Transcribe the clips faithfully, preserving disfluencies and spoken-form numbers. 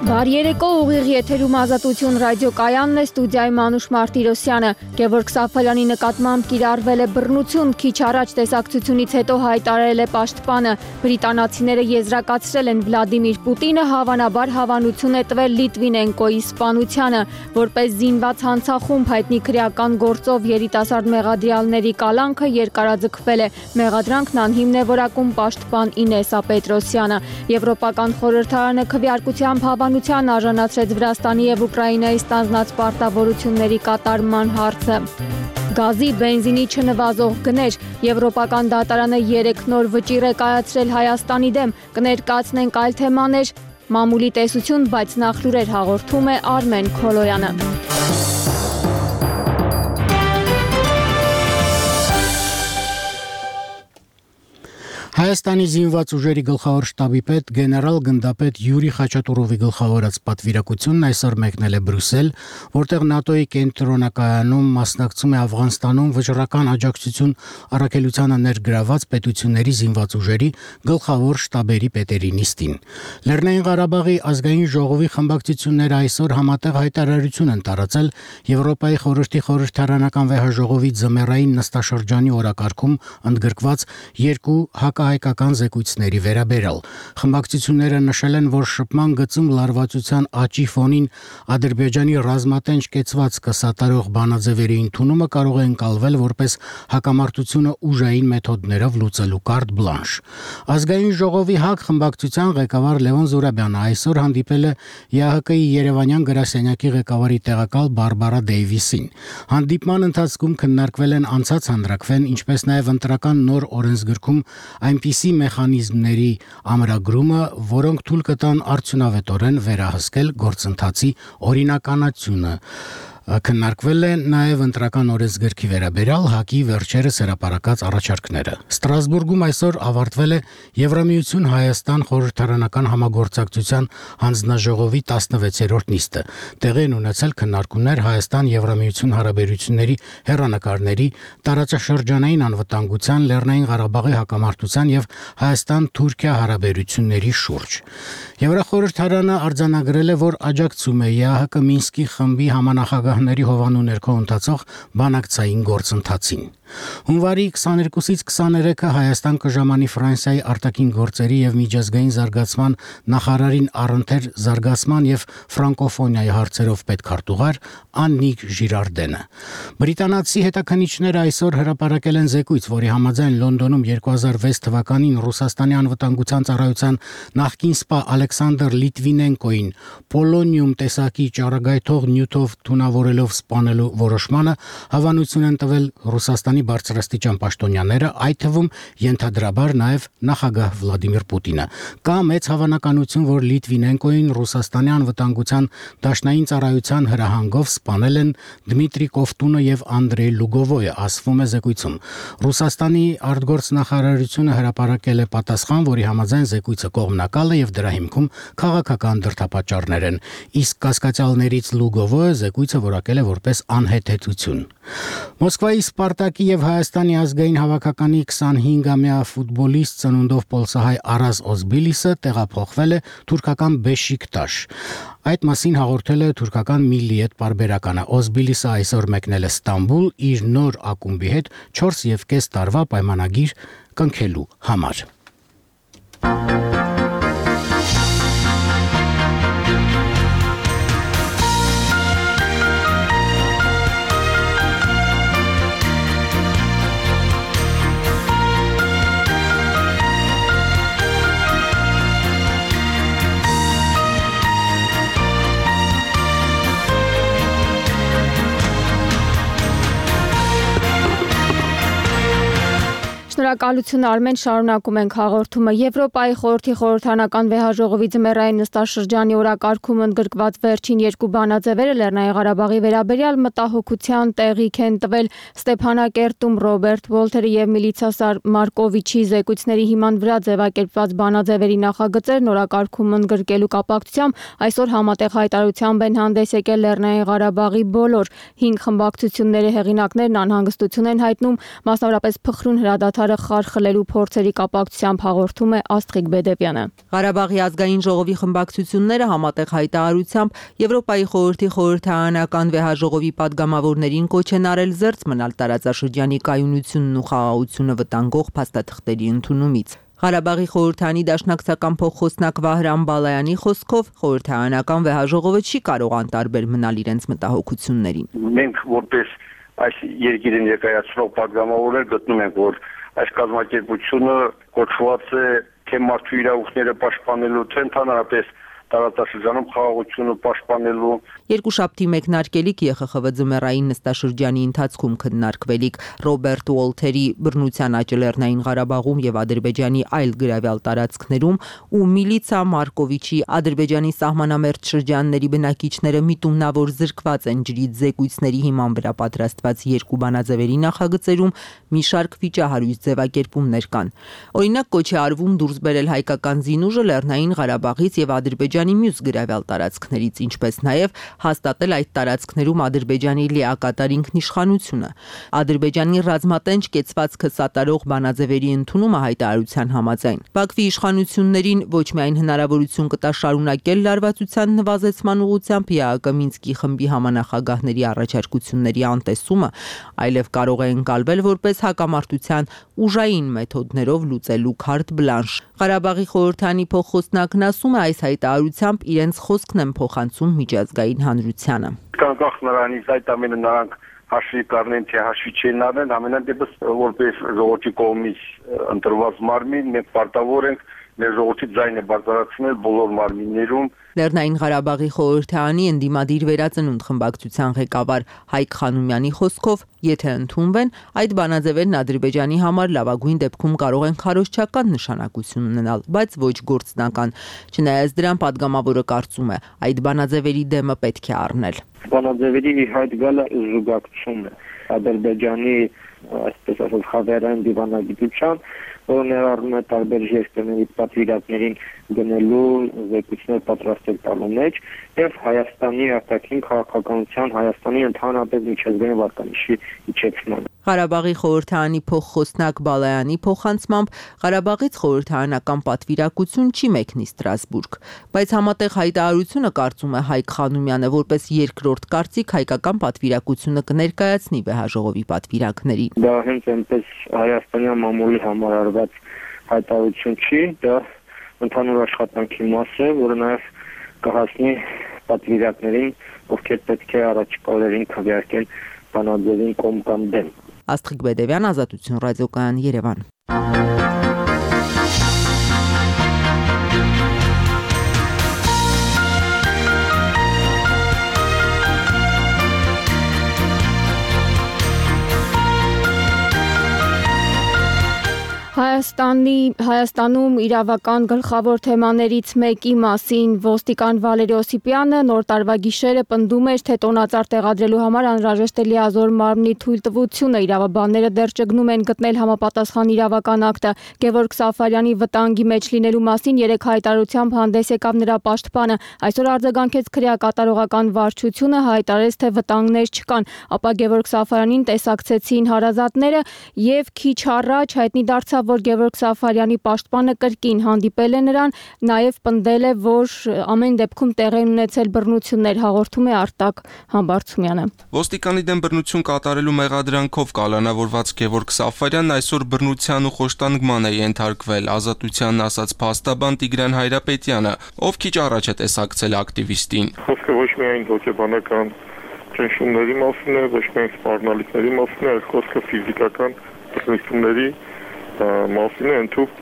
Բարի երեկո, ուղիղ եթերում Ազատություն ռադիոկայանն է, ստուդիայի Մանուշ Մարտիրոսյանը։ Գևորգ Սաֆալյանի նկատմամբ կիրառվել է բռնություն, քիչ առաջ տեսակցությունից հետո հայտարարել է պաշտպանը։ Բրիտանացիները եզրակացրել են Վլադիմիր Պուտինը հավանաբար հավանություն է տվել Լիտվինենկոյի սպանությանը, որպես զինված հանցախումբ հայտնի քրեական գործով երիտասարդ մեղադրյալների կալանքը երկարաձգվել է։ Մեղադրանքն անհիմն է որակում պաշտպան Ինեսա Պետրոսյանը։ Եվրոպական խորհրդարանը քվեարկությամբ հավանության արժանացրեց Վրաստանի և Ուկրաինայի ստանձնած պարտավորությունների կատարման հարցը։ Գազի, բենզինի չնվազող գներ։ Եվրոպական դատարանը երեք նոր վճիռ է կայացրել Հայաստանի դեմ։ Կներկայացնենք այլ թեմաներ, մամուլի տեսություն, բայց նախ լուրեր հաղորդում է Արմեն Քոլոյանը։ Հայաստանի զինված ուժերի գլխավոր շտաբի պետ գեներալ գնդապետ Յուրի Խաչատուրովի գլխավորած պատվիրակությունն այսօր մեկնել է Բրյուսել, որտեղ ՆԱՏՕ-ի կենտրոնակայանում մասնակցում է Աֆղանստանում վճռական աջակցություն առաքելությանը ներգրաված պետությունների զինված ուժերի գլխավոր շտաբերի պետերի նիստին։ Լեռնային Ղարաբաղի ազգային ժողովի խմբակցությունները այսօր համատեղ հայտարարություն են տարածել Եվրոպայի խորհրդի խորհրդարանական վեհաժողովի ձմեռային նստաշրջանի օրակարգում ընդգրկված երկու հակահայկական զեկույցների վերաբերյալ։ Խմբակցությունները նշել են, որ շփման գծում լարվածության աճի ֆոնին Ադրբեջանի ռազմատենչ կեցված կսատարող բանաձևերի ընդունումը կարող է ընկալվել որպես հակամարտությունը ուժային մեթոդներով լուծելու կարտ բլանշ։ Ազգային ժողովի ՀԱԿ խմբակցության ղեկավար Լևոն Զուրաբյանը այսօր հանդիպել է ԵԱՀԿ-ի Երևանյան գրասենյակի ղեկավարի տեղակալ Բարբարա Դեյվիսին։ Հանդիպման ընթացքում քննարկվել են անցած հանրաքվեն, ինչպես նաև ընտրական նոր օրենսգրքում այնպիսի մեխանիզմների ամրագրումը, որոնք թույլ կտան արդյունավետորեն վերահսկել գործընթացի օրինականությունը։ Քննարկվել է նաև ընտրական օրենսգրքի վերաբերյալ ՀԱԿ-ի վերջերս հրապարակած առաջարկները։ Ստրասբուրգում այսօր ավարտվել է Եվրամիություն Հայաստան խորհրդարանական համագործակցության հանձնաժողովի տասնվեցերորդ նիստը։ Տեղի են ունեցել քննարկումներ Հայաստան-Եվրամիություն հարաբերությունների հեռանկարների, տարածաշրջանային անվտանգության, Լեռնային Ղարաբաղի հակամարտության և Հայաստան-Թուրքիա հարաբերությունների շուրջ։ Եվրախորհրդարանը արձանագրել է, որ աջակցում է ԵԱՀԿ Մինսկի խմբի համանախագահների հովանու ներքո ընթացող բանակցային գործընթացին։ Հունվարի քսաներկուսից քսաներեքը Հայաստան կժամանի Ֆրանսիայի արտաքին գործերի և միջազգային զարգացման նախարարին առընթեր զարգացման և ֆրանկոֆոնիայի հարցերով պետքարտուղար Աննիկ Ժիրարդենը։ Բրիտանացի հետաքննիչները այսօր հրապարակել են զեկույց, որի համաձայն Լոնդոնում երկու հազար վեց թվականին Ռուսաստանի անվտանգության ծառայության նախկին սպա Ալեքսանդր Լիտվինենկոին պոլոնիում տեսակի ճառագայթող նյութով թունավորելով սպանելու որոշմանը հավանություն են տվել Ռուսաստանի բարձրաստիճան պաշտոնյաները, այդ թվում ենթադրաբար նաև նախագահ Վլադիմիր Պուտինը։ Կա մեծ հավանականություն, որ Լիտվինենկոին Ռուսաստանի անվտանգության դաշնային ծառայության հրահանգով սպանել են Դմիտրի Կովտունը և Անդրեյ Լուգովոյը, ասվում է զեկույցում։ Ռուսաստանի արտգործնախարարությունը հրապարակել է պատասխան, որի համաձայն զեկույցը կողմնակալ է և դրա հիմքում քաղաքական դրդապատճառներ են, իսկ կասկածյալներից Լուգովոյը զեկույցը որակել է որպես անհեթեթություն։ Մոսկվայի Սպարտակի և Հայաստանի ազգային հավաքականի քսանհինգամյա ֆուտբոլիստ ծնունդով պոլսահայ Արազ Օզբիլիսը տեղափոխվել է թուրքական Բեշիկտաշ։ Այդ մասին հաղորդել է թուրքական Միլիետ պարբերականը։ Օզբիլիսը այսօր մեկնել է Ստամբուլ իր նոր ակումբի հետ չորս և կես տարվա պայմանագիր կնքելու համար։ Շնորհակալություն Արմեն, շարունակում ենք հաղորդումը։ Եվրոպայի խորհրդի խորհրդարանական վեհաժողովի ձմեռային նստաշրջանի օրակարգում ընդգրկված վերջին երկու բանաձևերը Լեռնային Ղարաբաղի վերաբերյալ մտահոգության տեղիք են տվել։ Ստեփանակերտում Ռոբերտ Վոլթերի և Միլիցա Մարկովիչի զեկույցների հիման վրա ձևակերպված բանաձևերի նախագծերն օրակարգում ընդգրկելու կապակցությամբ այսօր համատեղ հայտարարությամբ են հանդես եկել Լեռնային Ղարաբաղի բոլոր հինգ խմբակցությունների հեղինակներն անհանգստություն են հայտնում, մասնավորապես փխրուն հրադադարը խարխլելու փորձերի կապակցությամբ հաղորդում է Աստղիկ Բեդևյանը։ Ղարաբաղի ազգային ժողովի խմբակցությունները համատեղ հայտարարությամբ Եվրոպայի խորհրդի խորհրդարանական վեհաժողովի падգամավորներին կոչ են արել զերծ մնալ տարածաշրջանի կայունությունն ու խաղաղությունը վտանգող փաստաթղթերի ընդունումից։ Ղարաբաղի խորհրդանի դաշնակցական փոխխոսնակ Վահրամ Բալայանի խոսքով խորհրդարանական վեհաժողովը չի կարող անտարբեր մնալ իրենց մտահոգություններին։ Մենք որպես այս երկիրին ներկայացնող падգամավորներ գտնում ենք, որ այս կազմակերպությունը կոչված է թե մարդու իրավունքները պաշտպանելու, թե ընդհանրապես տարածաշրջանում խաղաղությունը պաշտպանելու։ Երկուշաբթի մեկնարկելիք Ե Խ Խ V ձմեռային նստաշրջանի ընթացքում քննարկվելիք Ռոբերտ Ուոլթերի բռնության աճ Լեռնային Ղարաբաղում եւ Ադրբեջանի այլ գրավյալ տարածքներում ու Միլիցա Մարկովիչի Ադրբեջանի սահմանամերձ շրջանների բնակիչները միտումնավոր զրկված են ջրի զեկույցների հիման վրա պատրաստված երկու բանաձևերի նախագծերում մի շարք վիճահարույց ձևակերպումներ կան։ Օրինակ կոչ է արվում դուրս բերել հայկական զինուժը Լեռնային Ղարաբաղից եւ Ադրբեջանի մյուս գրավյալ տարածքներից, ինչպես նաև հաստատել այդ տարածքներում Ադրբեջանի լիակատար ինքնիշխանությունը։ Ադրբեջանի ռազմատենչ կեցվածքը սատարող բանաձևերի ընդունումը հայտարարության համաձայն Բաքվի իշխանություններին ոչ միայն հնարավորություն կտա շարունակել լարվածության նվազեցման ուղղությամբ Ե Ա Կ Մինսկի խմբի համանախագահների առաջարկությունների անտեսումը, այլև կարող է ընկալվել որպես հակամարտության ուժային մեթոդներով լուծելու քարտ բլանշ։ Ղարաբաղի խորհրդանի փոխխոսնակն ասում է այս հայտարարությամբ իրենց խոսքն են փոխանցում միջազգային հանրությանը։ Անկախ նրանից այդ ամենը նրանք հաշվի կառնեն, թե հաշվի չեն առնեն, ամենայն դեպս որպես ժողովրդի կողմից ընտրված մարմին մենք պարտավոր ենք մեր ժողովրդի ձայնը բարձրացնել բոլոր մարմիններում։ Լեռնային Ղարաբաղի խորհրդարանի ընդդիմադիր վերածնունդ խմբակցության ղեկավար Հայկ Խանոմյանի խոսքով, եթե ընդունվեն, այդ բանաձևերն Ադրբեջանի համար լավագույն դեպքում կարող են քարոզչական նշանակություն ունենալ, բայց ոչ գործնական։ Չնայած դրան падգամավորը կարծում է, այդ բանաձևերի դեմը պետք է առնել։ Բանաձևերի հայտ գալը զուգակցում է Ադրբեջանի, այսպես ասած, խավերային դիվանագիտության, որը ներառում է տարբեր երկրների պատվիրակներին գնելու զեկույցներ պատրաստել տալու մեջ եւ Հայաստանի արտաքին քաղաքականության, Հայաստանի ընդհանրապես միջազգային վարկանիշի իջեցման։ Ղարաբաղի խորհրդարանի փոխխոսնակ Բալայանի փոխանցմամբ Ղարաբաղից խորհրդարանական պատվիրակություն չի մեկնի Ստրասբուրգ, բայց համատեղ հայտարարությունը կարծում է Հայկ Խանոմյանը որպես երկրորդ կարծիք հայկական պատվիրակությունը կներկայացնի վեհաժողովի պատվիրակներին։ Դա հենց այնպես հայաստանյան մամուլի համար արված հայտարարություն չի, դա ընդհանուր աշխատանքի մաս է, որը նաև կհասնի պատվիրակներին, ովքեր պետք է առաջիկալերին քվեարկեն բանաձևին կողմ կամ դեմ։ Աստղիկ Բեդևյան, Ազատություն ռադիոկայան, Երևան։ Հայաստանի Հայաստանում իրավական գլխավոր թեմաներից մեկի մասին ոստիկան Վալերի Օսիպյանը նոր տարվա գիշերը պնդում էր, թե տոնածառ տեղադրելու համար անհրաժեշտ է լիազոր մարմնի թույլտվությունը։ Իրավաբանները դեռ ճգնում են գտնել համապատասխան իրավական ակտը։ Գևորգ Սաֆարյանի վտանգի մեջ լինելու մասին երեք հայտարարությամբ հանդես եկավ նրա պաշտպանը։ Այսօր արձագանքեց քրեակատարողական վարչությունը, հայտարարեց, թե վտանգներ չկան, ապա Գևորգ Սաֆարյանին տեսակցեցին հարազատները եւ քիչ առաջ հայտնի դարձավ, որ Գևորգ Սաֆարյանի պաշտպանը կրկին հանդիպել է նրան, նաև պնդել է, որ ամեն դեպքում տեղի են ունեցել բռնություններ, հաղորդում է Արտակ Համբարձումյանը։ Ոստիկանի դեմ բռնություն կատարելու մեղադրանքով կալանավորված Գևորգ Սաֆարյանն այսօր բռնության ու խոշտանգման է ենթարկվել, Ազատությանն ասաց փաստաբան Տիգրան Հայրապետյանը, ով քիչ առաջ է տեսակցել ակտիվիստին։ Խոսքը ոչ միայն հոգեբանական ճնշումների մասին է, ոչ միայն սպառնալիքների մասին է, այլ խոսքը ֆիզիկական բռնությունների մասին է, ընդհուպ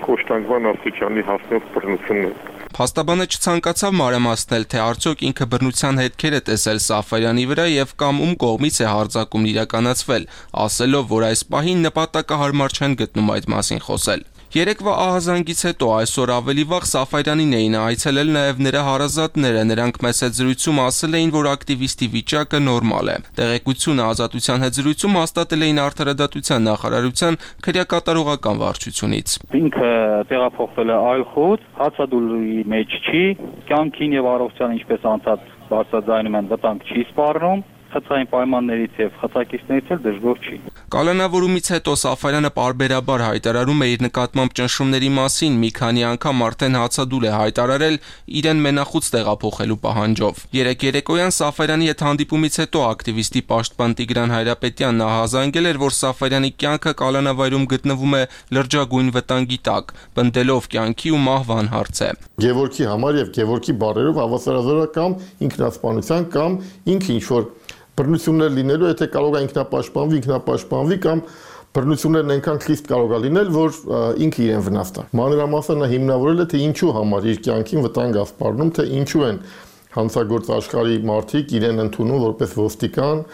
խոշտանգման աստիճանի հասնող բռնություններ։ Փաստաբանը չցանկացավ մանրամասնել, թե արդյոք ինքը բռնության հետքեր է տեսել Սաֆարյանի վրա եւ կամ ում կողմից է հարձակումն իրականացվել, ասելով, որ այս պահին նպատակահարմար չեն գտնում այդ մասին խոսել։ Երեկվա ահազանգից հետո այսօր ավելի վաղ Սաֆարյանին էին այցելել նաև նրա հարազատները, նրանք մեծ հետ զրույցում ասել էին, որ ակտիվիստի վիճակը նորմալ է։ Տեղեկությունը Ազատության հետ զրույցում հաստատել էին Արդարադատության նախարարության քրեակատարողական վարչությունից։ Ինքը տեղափոխվել է այլ խոտ, հացադուլի մեջ չի, կյանքին եւ առողջության ինչպես անցած բարձրաձայնում են վտանգ չի սպառնում, խցային պայմաններից եւ խցակիցներից էլ դժգոհ չի։ Կալանավորումից հետո Սաֆարյանը պարբերաբար հայտարարում է իր նկատմամբ ճնշումների մասին, մի քանի անգամ արդեն հացադուլ է հայտարարել իրեն մենախուց տեղափոխելու պահանջով։ Երեկ երեկոյան Սաֆարյանի հետ հանդիպումից հետո ակտիվիստի պաշտպան Տիգրան Հայրապետյանն ահազանգել էր, որ Սաֆարյանի կյանքը կալանավայրում գտնվում է լրջագույն վտանգի տակ, պնդելով կյանքի ու մահվան հարցը։ Գևորգի համար եւ Գևորգի բարերով հավասարազորական ինքնասպանության կամ ինքը ինչ որ բռնություններ լինելու, եթե կարող է ինքնապաշտպանվի, ինքնապաշտպանվի կամ բռնություններն այնքան խիստ կարող է լինել, որ ինքը իրեն վնասի։ Մանրամասն նա հիմնավորել է, թե ինչու համար իր կյանքին վտանգ է սպառնում, թե ինչու են հանցագործ աշխարհի մարդիկ իրեն ընդունում որպես ոստիկան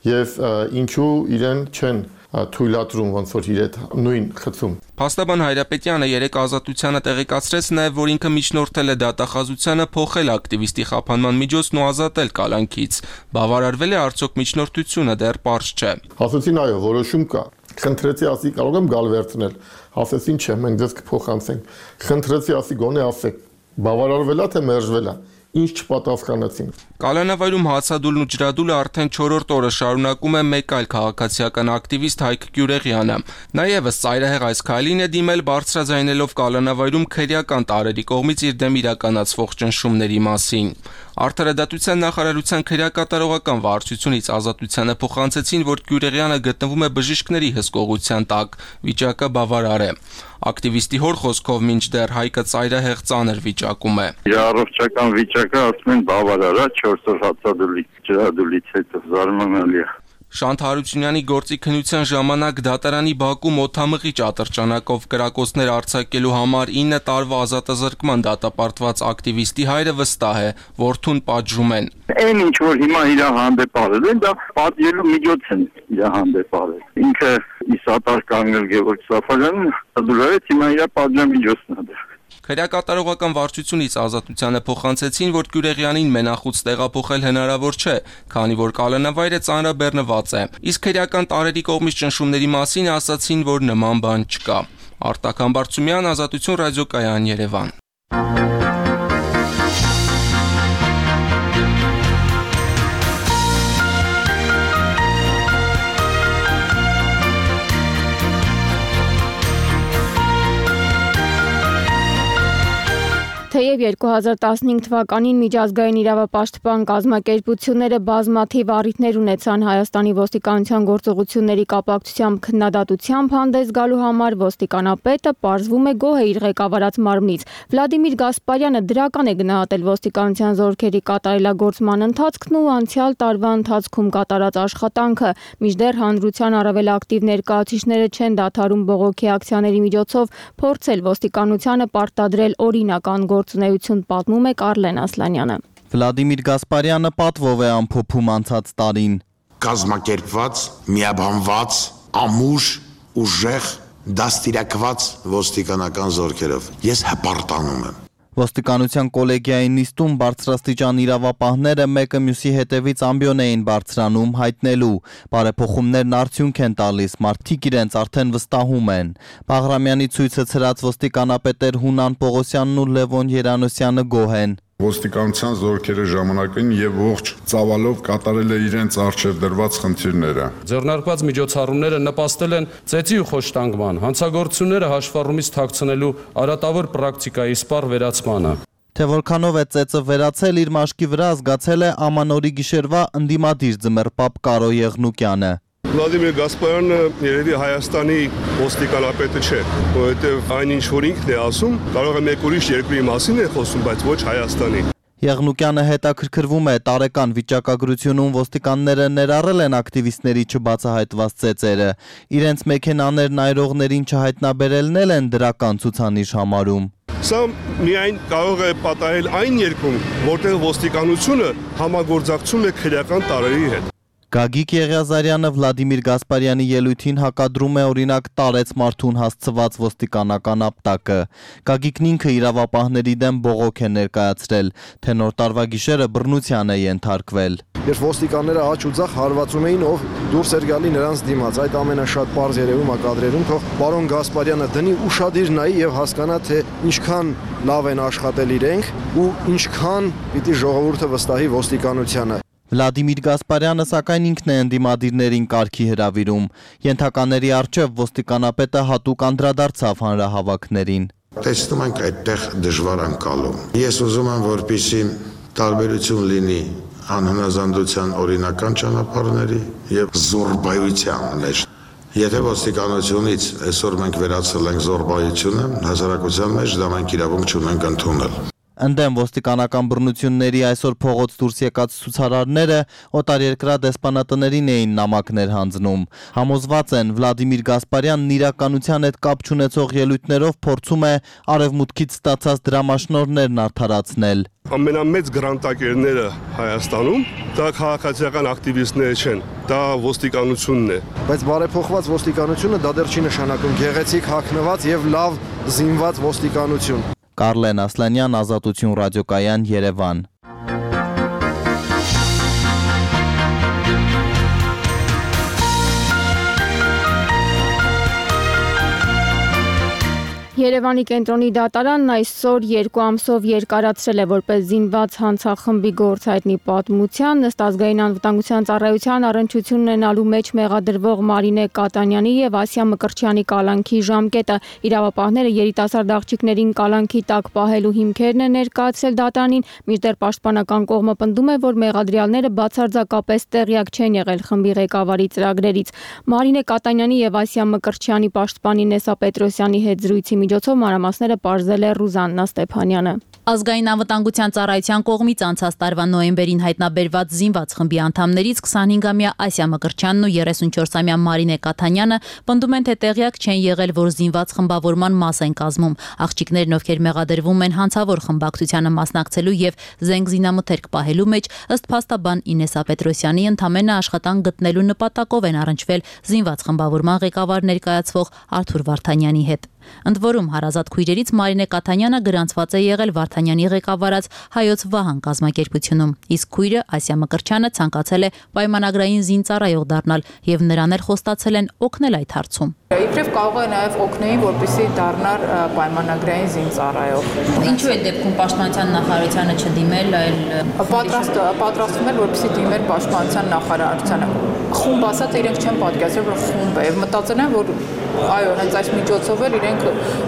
եւ ինչու իրեն չեն թույլատրում ոնց որ իր այդ նույն խցում։ Փաստաբան Հայրապետյանը երեք ազատությանը տեղեկացրեց նաև, որ ինքը միջնորդել է դատախազությանը փոխել ակտիվիստի խափանման միջոցն ու ազատել կալանքից։ Բավարարվել է արդյոք միջնորդությունը, դեռ պարզ չէ։ Ասեցին այո, որոշում կա։ Խնդրեցի ասի կարող եմ գալ վերցնել։ Ասեցին չէ, մենք դες կփոխանցենք։ Խնդրեցի ասի գոնե ասեք։ Բավարարվել է թե մերժվել է։ Ինչ չպատասխանեցին։ Կալանավայրում հացադուլն ու ջրադուլը արդեն չորրորդ օրը շարունակում է մեկ այլ քաղաքացիական ակտիվիստ Հայկ Գյուրեղյանը։ Նա ևս ծայրահեղ այս քայլին է դիմել բարձրաձայնելով Կալանավայրում քրեական տարրերի կողմից իր դեմ իրականացվող ճնշումների մասին։ Արդարադատության նախարարության քրեակատարողական վարչությունից ազատությանը փոխանցեցին, որ Գյուրեղյանը գտնվում է բժիշկների հսկողության տակ, վիճակը բավարար է։ Ակտիվիստի հոր խոսքով մինչդեռ Հայկը ծայրահեղ ծանր վիճակում է։ Իր առողջական վիճակը ասում են բավարար է, չորս օր հացադուլի ջրադուլից հետո զարմանալի է։ Շանթ Հարությունյանի գործի քննության ժամանակ դատարանի բակում օդամղի ատրճանակով կրակոցներ արձակելու համար ինը տարվա ազատազրկման դատապարտված ակտիվիստի հայրը վստահ է, որդուն պատժում են։ Այն ինչ որ հիմա իր հանդեպ արել են, դա պատժելու միջոց են իր հանդեպ արել։ Ինքը իսատար կանգնել Գևորգ Սաֆարյանն դուրարեց հիմա իր պատժամիջոցն է։ Քրեակատարողական վարչությունից ազատությանը փոխանցեցին, որ Գյուրեղյանին մենախուց տեղափոխել հնարավոր չէ, քանի որ կալանավայրը ծանրաբեռնված է։ Իսկ քրեական տարրերի կողմից ճնշումների մասին ասացին, որ նման բան չկա։ Արտակ Համբարձումյան, Ազատություն ռադիոկայան, Երևան։ Թեև երկու հազար տասնհինգ թվականին միջազգային իրավապաշտպան կազմակերպությունները բազմաթիվ առիթներ ունեցան Հայաստանի ոստիկանության գործողությունների կապակցությամբ քննադատությամբ հանդես գալու համար, ոստիկանապետը պարզվում է գոհ է իր ղեկավարած մարմնից։ Վլադիմիր Գասպարյանը դրական է գնահատել ոստիկանության զորքերի կատարելագործման ընթացքն ու անցյալ տարվա ընթացքում կատարած աշխատանքը, մինչդեռ հանրության առավել ակտիվ ներկայացուցիչները չեն դադարում բողոքի ակցիաների միջոցով փորձել ոստիկանությանը պարտադրել օրինական գործունեություն, պատմում է Կարլեն Ասլանյանը։ Վլադիմիր Գասպարյանը պատվով է ամփոփում անցած տարին։ Կազմակերպված, միաբանված, ամուր, ուժեղ, դաստիարակված ոստիկանական զորքերով ես հպարտանում եմ։ Ոստիկանության կոլեգիայի նիստում բարձրաստիճան իրավապահները մեկը մյուսի հետևից ամբիոն էին բարձրանում հայտնելու, բարեփոխումներն արդյունք են տալիս, մարդիկ իրենց արդեն վստահում են։ Բաղրամյանի ցույցը ցրած ոստիկանապետեր Հունան Պողոսյանն ու Լևոն Երանոսյանը գոհ են։ Ոստիկանության զորքերը ժամանակին եւ ողջ ծավալով կատարել է իրենց արժեվ դրված խնդիրները։ Ձեռնարկված միջոցառումները նպաստել են ծեծի ու խոշտանգման, հանցագործությունները հաշվառումից թաքցնելու արատավոր պրակտիկայի սպառ վերացմանը։ Թե որքանով է ծեծը վերացել, իր մաշկի վրա զգացել է ամանորի գիշերվա ընդդիմադիր ձմեռպապ Կարո Եղնուկյանը։ Վլադիմիր Գասպարյանը երևի Հայաստանի ոստիկանապետը չէ, որովհետև այն ինչ որ ինքն է ասում, կարող է մեկ ուրիշ երկրի մասին է խոսում, բայց ոչ Հայաստանի։ Եղնուկյանը հետաքրքրվում է տարեկան վիճակագրությունում ոստիկանները ներառել են ակտիվիստների չբացահայտված ծեծերը, իրենց մեքենաներն այրողներին չհայտնաբերելն էլ են դրական ցուցանիշ համարում։ Սա միայն կարող է պատահել այն երկրում, որտեղ ոստիկանությունը համագործակցում է քրեական տարրերի հետ։ Գագիկ Եղիազարյանը Վլադիմիր Գասպարյանի ելույթին հակադրում է օրինակ տարեց մարդուն հասցված ոստիկանական ապտակը։ Գագիկն ինքը իրավապահների դեմ բողոք է ներկայացրել, թե նոր տարվա գիշերը բռնության է ենթարկվել։ Երբ ոստիկանները աջ ու ձախ հարվածում էին, ով դուրս էր գալի նրանց դիմաց, այդ ամենը շատ պարզ երևում է կադրերում, թող պարոն Գասպարյանը դնի ուշադիր նայի եւ հասկանա, թե ինչքան լավ են աշխատել իրենք ու ինչքան պիտի ժողովուրդը վստահի ոստիկանությանը։ Վլադիմիր Գասպարյանը սակայն ինքն է ընդդիմադիրներին կարգի հրավիրում։ Ենթականների առջև ոստիկանապետը հատուկ անդրադարձավ հանրահավաքներին։ Տեսնում ենք այդտեղ դժվար անցալում։ Ես ուզում եմ, որպեսզի տարբերություն լինի անհնազանդության օրինական ճանապարհների եւ զորբայության մեջ։ Եթե ոստիկանությունից այսօր մենք վերացել ենք զորբայությունը, հասարակության մեջ դա մենք իրավունք չունենք ընդունել։ Ընդդեմ ոստիկանական բռնությունների այսօր փողոց դուրս եկած ցուցարարները օտարերկրյա դեսպանատներին էին նամակներ հանձնում։ Համոզված են Վլադիմիր Գասպարյանն իրականության հետ կապ չունեցող ելույթներով փորձում է արևմուտքից ստացած դրամաշնորհներն արդարացնել։ Ամենամեծ գրանտակերները Հայաստանում դա քաղաքացիական ակտիվիստները չեն, դա ոստիկանությունն է։ Բայց բարեփոխված ոստիկանությունը դա դեռ չի նշանակում գեղեցիկ հագնված եւ լավ զինված ոստիկանություն։ Կարլեն Ասլանյան, Ազատություն ռադիոկայան, Երևան։ Երևանի կենտրոնի դատարանն այսօր երկու ամսով երկարացրել է որպես զինված հանցախմբի գործ հայտնի պատմության ըստ ազգային անվտանգության ծառայության առնչություն ունենալու մեջ մեղադրվող Մարինե Կատանյանի եւ Ասիա Մկրտչյանի կալանքի ժամկետը։ Իրավապահները երիտասարդ աղջիկներին կալանքի տակ պահելու հիմքերն են ներկայացրել դատարանին, մինչդեռ պաշտպանական կողմը պնդում է, որ մեղադրյալները բացարձակապես տեղյակ չեն եղել խմբի ղեկավարի ծրագրերից։ Մարինե Կատանյանի եւ Ասիա Մկրտչյանի պաշտպանի Նեսա Պետրոսյանի հետ զրույցի միջոցով մանրամասները պարզել է Ռուզաննա Ստեփանյանը։ Ազգային անվտանգության ծառայության կողմից անցած տարվա նոյեմբերին հայտնաբերված զինված խմբի անդամներից քսանհինգամյա Ասիա Մկրտչյանն ու երեսունչորսամյա Մարինե Կաթանյանը պնդում են, թե տեղյակ չեն եղել, որ զինված խմբավորման մաս են կազմում։ Աղջիկներն, ովքեր մեղադրվում են հանցավոր խմբակցությանը մասնակցելու եւ զենք զինամթերք պահելու մեջ, ըստ փաստաբան Ինեսա Պետրոսյանի, ընդամենը աշխատանք գտնելու նպատակով են առնչվել զինված խմբավորման ղեկավար ներկայացվող Արթուր Վարդանյանի հետ։ Ընդ որում հարազատ քույրերից Մարինե Կաթանյանը գրանցված է եղել Վարդանյանի ղեկավարած Հայոց Վահան կազմակերպությունում, իսկ քույրը Ասիա Մկրտչյանը ցանկացել է պայմանագրային զինծառայող դառնալ եւ նրան էլ խոստացել են օգնել այդ հարցում։ Իբրև կարող է նաև օգնեին, որպեսզի դառնար պայմանագրային զինծառայող։ Ինչու է դեպքում պաշտպանության նախարարությանը չդիմել, այլ պատրաստ պատրաստվում էր, որպեսզի դիմեր պաշտպանության նախարարությանը։ Խումբ ասած իրենք չեն պատկերացրել, որ խումբ է, եւ մտածել են, որ այո, հենց այս միջոցով էլ իրենք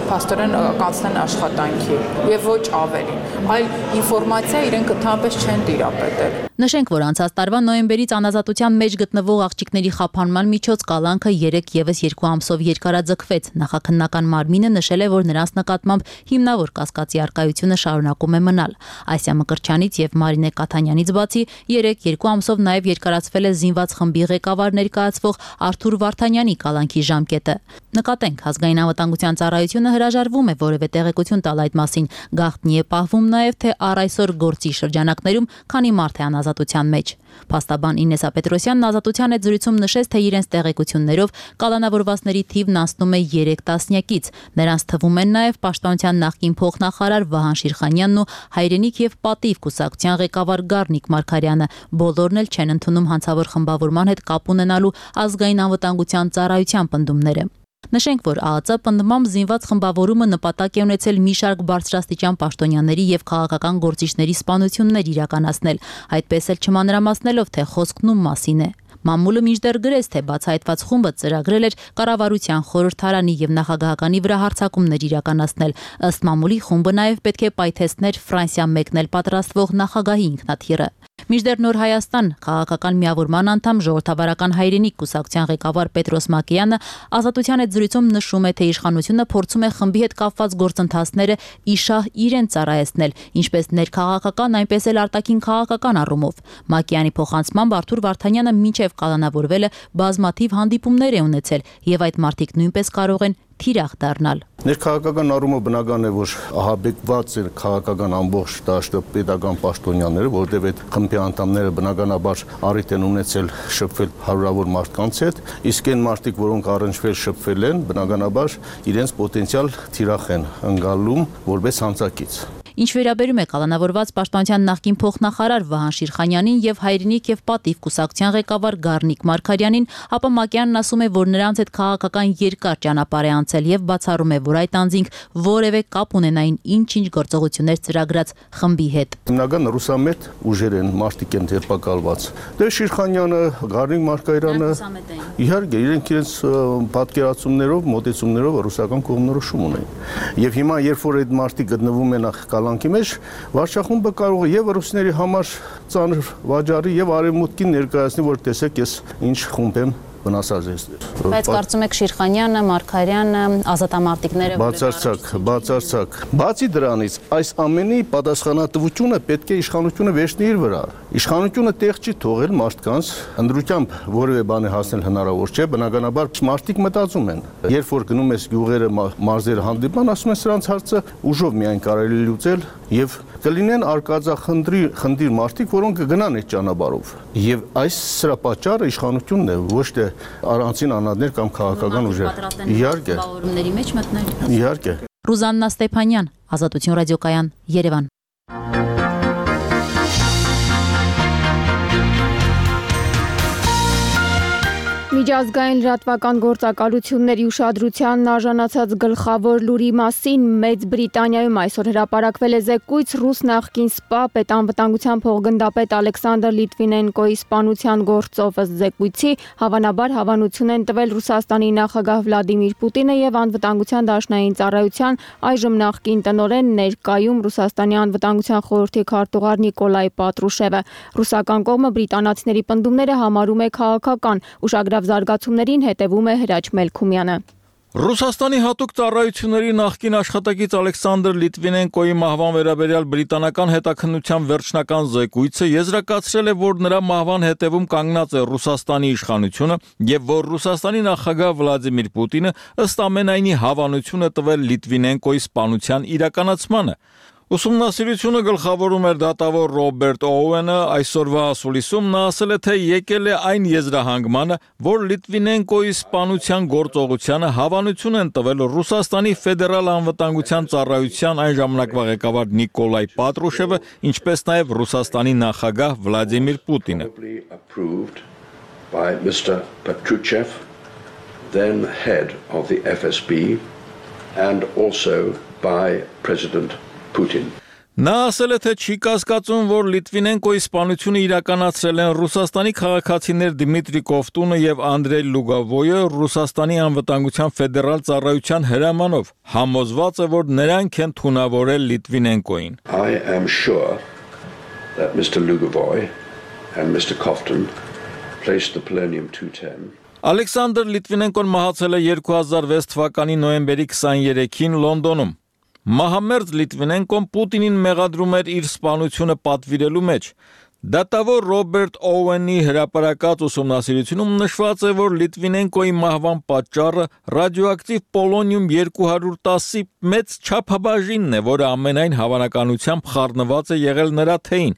փաստորեն կանցնեն աշխատանքի եւ ոչ ավելին։ Այլ ինֆորմացիա իրենք ընդհանրապես չեն տիրապետել։ Նշենք, որ անցած տարվա նոյեմբերից անազատության մեջ գտնվող աղջիկների խափանման միջոց կալանքը երեք եւս երկու ամսով երկարաձգվեց։ Նախաքննական մարմինը նշել է, որ նրանց նկատմամբ հիմնավոր կասկածի առկայությունը շարունակում է մնալ։ Ասիա Մկրտչյանից եւ Մարինե Կաթանյանից բացի երեք երկու ամսով նաեւ երկարացվել է զինված խմբի ղեկավար ներկայացվող Արթուր Վարդանյանի կալանքի ժամկետը։ Նկատենք, ազգային անվտանգության ծառայությունը հրաժարվում է որևէ տեղեկություն տալ այդ մասին։ Գաղտնի է պահվում նաեւ, թե առ այսօր գործի շրջանակներում քանի մարդ է անազատության մեջ։ Փաստաբան Ինեսա Պետրոսյանն Ազատության հետ զրույցում նշեց, թե իրենց տեղեկություններով կալանավորվածների թիվն անցնում է երեք տասնյակից։ Նրանց թվում են նաև պաշտպանության նախկին փոխնախարար Վահան Շիրխանյանն ու հայրենիք եւ պատիվ կուսակցության ղեկավար Գառնիկ Մարգարյանը։ Բոլորն էլ չեն ընդունում հանցավոր խմբավորման հետ կապ ունենալու ազգային անվտանգության ծառայության պնդումները։ Նշենք, որ ԱԱԾ պնդմամբ զինված խմբավորումը նպատակ է ունեցել մի շարք բարձրաստիճան պաշտոնյաների եւ քաղաքական գործիչների սպանություններ իրականացնել, այդպես էլ չմանրամասնելով, թե խոսքն ում մասին է։ Մամուլը մինչդեռ գրեց, թե բացահայտված խումբը ծրագրել էր կառավարության խորհրդարանի եւ նախագահականի վրա հարձակումներ իրականացնել։ Ըստ մամուլի խումբը նաեւ պետք է պայթեցներ Ֆրանսիա մեկնել պատրաստվող նախագահի ինքնաթիռը։ Մինչդեռ Նոր Հայաստան քաղաքական միավորման անդամ ժողովրդավարական հայրենիք կուսակցության ղեկավար Պետրոս Մակեյանը Ազատության հետ զրույցում նշում է, թե իշխանությունը փորձում է խմբի հետ կապված գործընթացները իշահ իրեն ծառայեցնել, ինչպես ներքաղաքական, այնպես էլ արտաքին քաղաքական առումով։ Մակեյանի փոխանցմամբ Արթուր Վարդանյանը մինչև կալանավորվելը բազմաթիվ հանդիպումներ է ունեցել եւ այդ մարդիկ նույնպես կարող են թիրախ դառնալ։ Ներքաղաքական առումով բնական է, որ ահաբեկված է քաղաքական ամբողջ դաշտը պետական պաշտոնյաները, որտեղ այդ խմբի անդամները բնականաբար առիթ են ունեցել շփվել հարյուրավոր մարդկանց հետ, իսկ այն մարդիկ, որոնք առնչվել շփվել են, բնականաբար իրենց պոտենցիալ թիրախ են ընկալում որպես հանցակից։ Ինչ վերաբերում է կալանավորված պաշտպանության նախկին փոխնախարար Վահան Շիրխանյանին եւ հայրենիք եւ պատիվ կուսակցության ղեկավար Գառնիկ Մարգարյանին, ապա Մակյանն ասում է, որ նրանց հետ քաղաքական երկար ճանապարհ է անցել եւ բացառում է, որ այդ անձինք որևէ կապ ունենային ինչ-ինչ գործողություններ ծրագրած խմբի հետ։ Հիմնական ռուսամետ ուժեր են, մարդիկ են դերպակալված։ Դե Շիրխանյանը, Գառնիկ Մարգարյանը իհարկե իրենք իրենց պատկերացումներով, մոտեցումներով ռուսական կողմնորոշում ունեն։ Եվ հիմա երբ որ այդ մարդիկ գտնվում են կալանքի մեջ, վարչախումբը կարող է եւ ռուսների համար ծանր վաճառի եւ արևմուտքին ներկայացնի, որ տեսեք ես ինչ խումբ եմ վնասած է։ Բայց կարծում եք Շիրխանյանը, Մարգարյանը, ազատամարտիկները բացարձակ, բացարձակ։ Բացի դրանից, այս ամենի պատասխանատվությունը պետք է իշխանությունը վերցնի իր վրա։ Իշխանությունը տեղ չի թողել մարդկանց, ընդրությամբ որևէ բան հասնել հնարավոր չէ, բնականաբար մարդիկ մտածում են։ Երբ որ գնում ես գյուղերը, մարզերը հանդիպան, ասում են սրանց հարցը ուժով միայն կարելի լուծել եւ կլինեն արկածախնդրի խնդիր մարդիկ, որոնք կգնան այդ ճանապարհով։ Եվ այս սրա պատճառը իշխանությունն է, ոչ թե առանցին անհատներ կամ քաղաքական ուժեր։ Իհարկե։ մեջ մտնել։ Իհարկե։ Ռուզաննա Ստեփանյան, Ազատություն ռադիոկայան, Երևան։ Միջազգային լրատվական գործակալությունների ուշադրությանն արժանացած գլխավոր լուրի մասին Մեծ Բրիտանիայում այսօր հրապարակվել է զեկույց ռուս նախկին սպա պետանվտանգության փոխգնդապետ Ալեքսանդր Լիտվինենկոյի սպանության գործով ըստ զեկույցի հավանաբար հավանություն են տվել Ռուսաստանի նախագահ Վլադիմիր Պուտինը եւ անվտանգության դաշնային ծառայության այժմ նախկին տնօրեն ներկայում Ռուսաստանի անվտանգության խորհրդի քարտուղար Նիկոլայ Պատրուշևը։ Ռուսական կողմը բրիտանացիների պնդումները համարում է քաղաքական, ուշագրավ զարգացումներին հետևում է Հրաչ Մելքումյանը։ Ռուսաստանի հատուկ ծառայությունների նախկին աշխատակից Ալեքսանդր Լիտվինենկոյի մահվան վերաբերյալ բրիտանական հետաքննության վերջնական զեկույցը եզրակացրել է, որ նրա մահվան հետևում կանգնած է Ռուսաստանի իշխանությունը եւ որ Ռուսաստանի նախագահ Վլադիմիր Պուտինը ըստ ամենայնի հավանություն է տվել Լիտվինենկոյի սպանության իրականացմանը։ Ուսումնասիրությունը գլխավորում էր դատավոր Ռոբերտ Օուենը, այսօրվա ասուլիսում նա ասել է, թե եկել է այն եզրահանգմանը, որ Լիտվինենկոյի սպանության գործողությանը հավանություն են տվել Ռուսաստանի ֆեդերալ անվտանգության ծառայության այն ժամանակվա ղեկավար Նիկոլայ Պատրուշևը, ինչպես նաև Ռուսաստանի նախագահ Վլադիմիր Պուտինը։ Then head of the F S B and also by President Putin. Նա ասել է, թե չի կասկածում, որ Լիտվինենկոյի սպանությունը իրականացրել են Ռուսաստանի քաղաքացիներ Դիմիտրի Կովտունը եւ Անդրեյ Լուգովոյը Ռուսաստանի անվտանգության ֆեդերալ ծառայության հրամանով, համոզված է, որ նրանք են թունավորել Լիտվինենկոյին։ I am sure that Mister Lugovoy and Mister Kofton placed the polonium two ten. Ալեքսանդր Լիտվինենկոն մահացել է երկու հազար վեց թվականի նոյեմբերի քսաներեքին Լոնդոնում։ Մահամերձ Լիտվինենկոն Պուտինին մեղադրում էր իր սպանությունը պատվիրելու մեջ։ Դատավոր Ռոբերտ Օուենի հրապարակած ուսումնասիրությունում նշված է, որ Լիտվինենկոյի մահվան պատճառը ռադիոակտիվ պոլոնիում երկու հարյուր տասի մեծ չափաբաժինն է, որը ամենայն հավանականությամբ խառնված է եղել նրա թեյին։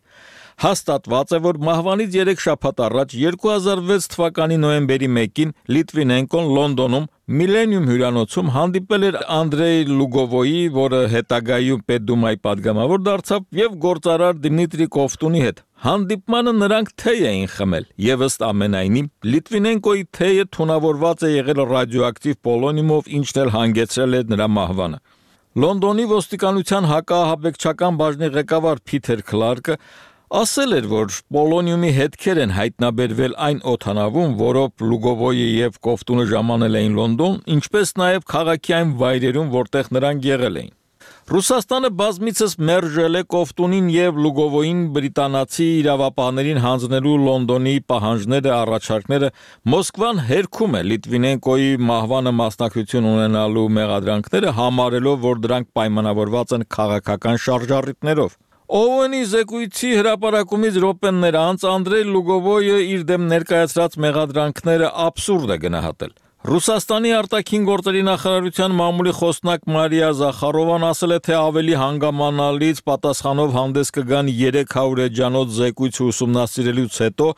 Հաստատված է, որ մահվանից երեք շաբաթ առաջ երկու հազար վեց թվականի նոյեմբերի մեկին Լիտվինենկոն Լոնդոնում Միլենիում հյուրանոցում հանդիպել էր Անդրեյ Լուգովոյի, որը հետագայում Պետդումայի падգամավոր դարձավ, եւ գործարար Դիմիտրի Կովտունի հետ։ Հանդիպմանը նրանք թեյ էին խմել, եւ ըստ ամենայնի Լիտվինենկոյի թեյը թունավորված է եղել ռադիոակտիվ պոլոնիումով, ինչն էլ հանգեցրել է նրա մահվանը։ Լոնդոնի ոստիկանության հակաահաբեկչական բաժնի ղեկավար Փիթեր Քլարկը ասել էր, որ պոլոնիումի հետքեր են հայտնաբերվել այն օդանավում, որով Լուգովոյը եւ Կովտունը ժամանել էին Լոնդոն, ինչպես նաեւ քաղաքի այն վայրերում, որտեղ նրանք եղել էին։ Ռուսաստանը բազմիցս մերժել է Կովտունին եւ Լուգովոյին բրիտանացի իրավապահներին հանձնելու Լոնդոնի պահանջները, առաջարկները, Մոսկվան հերքում է Լիտվինենկոյի մահվանը մասնակցություն ունենալու մեղադրանքները, համարելով, որ դրանք պայմանավորված են քաղաքական շարժառիթներով։ Օուենի զեկույցի հրապարակումից րոպեներ անց Անդրեյ Լուգովոյը իր դեմ ներկայացրած մեղադրանքները աբսուրդ է գնահատել։ Ռուսաստանի արտաքին գործերի նախարարության մամուլի խոսնակ Մարիա Զախարովան ասել է, թե ավելի հանգամանալից պատասխանով հանդես կգան երեք հարյուր էջանոց զեկույցը ուսումնասիրելուց հետո,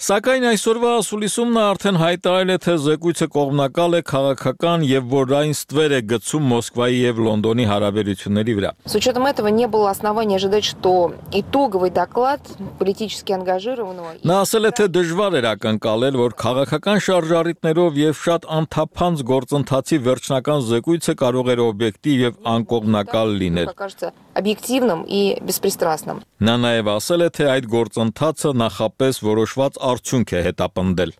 սակայն այսօրվա ասուլիսում նա արդեն հայտարարել է, թե զեկույցը կողմնակալ է քաղաքական եւ որ այն ստվեր է գցում Մոսկվայի եւ Լոնդոնի հարաբերությունների վրա։ С учетом этого не было оснований ожидать, что итоговый доклад политически ангажированного. Նա ասել է, թե դժվար էր ակնկալել, որ քաղաքական շարժառիթներով եւ շատ անթափանց գործընթացի վերջնական զեկույցը կարող էր օբյեկտիվ եւ անկողմնակալ լինել։ Объективным и беспристрастным. Նա նաեւ ասել է, թե այդ գործընթացը նախապես որոշված արդյունք է հետապնդել։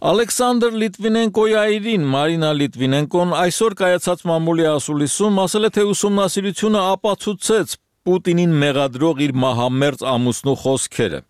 Ալեքսանդր Լիտվինենկոյի այրին Մարինա Լիտվինենկոն այսօր կայացած մամուլի ասուլիսում ասել է, թե ուսումնասիրությունը ապացուցեց Պուտինին մեղադրող իր մահամերձ ամուսնու խոսքերը։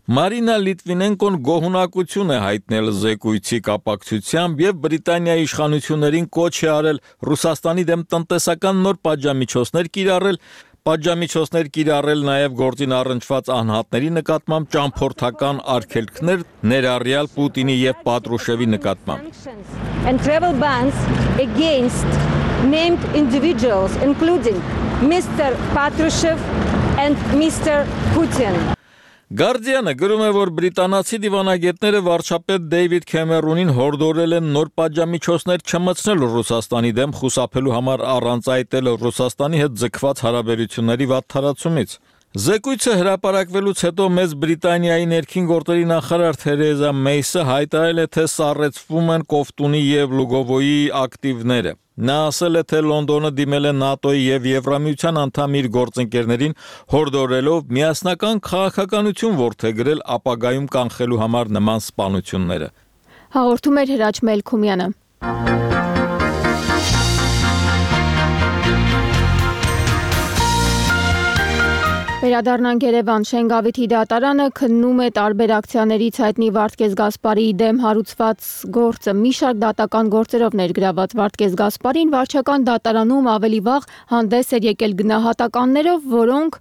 Մարինա Լիտվինենկոն գոհունակություն է հայտնել զեկույցի կապակցությամբ եւ Բրիտանիայի իշխանություններին կոչ է արել Ռուսաստանի դեմ տնտեսական նոր պատժամիջոցներ կիրառել, պատժամիջոցներ կիրառել նաեւ գործին առնչված անհատների նկատմամբ ճամփորդական արգելքներ, ներառյալ Պուտինի եւ Պատրուշևի նկատմամբ։ And travel bans against named individuals including Mister Patrushev and Mister Putin. Գարդիանը գրում է, որ բրիտանացի դիվանագետները վարչապետ Դեյվիդ Քեմերոնին հորդորել են նոր պատժամիջոցներ չմտցնել Ռուսաստանի դեմ խուսափելու համար առանց այտել Ռուսաստանի հետ ձգված հարաբերությունների վատթարացումից։ Զեկույցը հրապարակվելուց հետո մեծ Բրիտանիայի ներքին գործերի նախարար Թերեզա Մեյսը հայտարարել է, թե սառեցվում են Կոֆտունի եւ Լուգովոյի ակտիվները։ Նա ասել է, թե Լոնդոնը դիմել է ՆԱՏՕ-ի եւ Եվրամիության անդամ իր գործընկերներին հորդորելով միասնական քաղաքականություն որդեգրել ապագայում կանխելու համար նման սպանությունները։ Հաղորդում էր Հրաչ Մելքումյանը։ Վերադառնանք Երևան, Շենգավիթի դատարանը քննում է տարբեր ակցիաներից հայտնի Վարդգես Գասպարիի դեմ հարուցված գործը։ Մի շարք դատական գործերով ներգրաված Վարդգես Գասպարին վարչական դատարանում ավելի վաղ հանդես էր եկել գնահատականներով, որոնք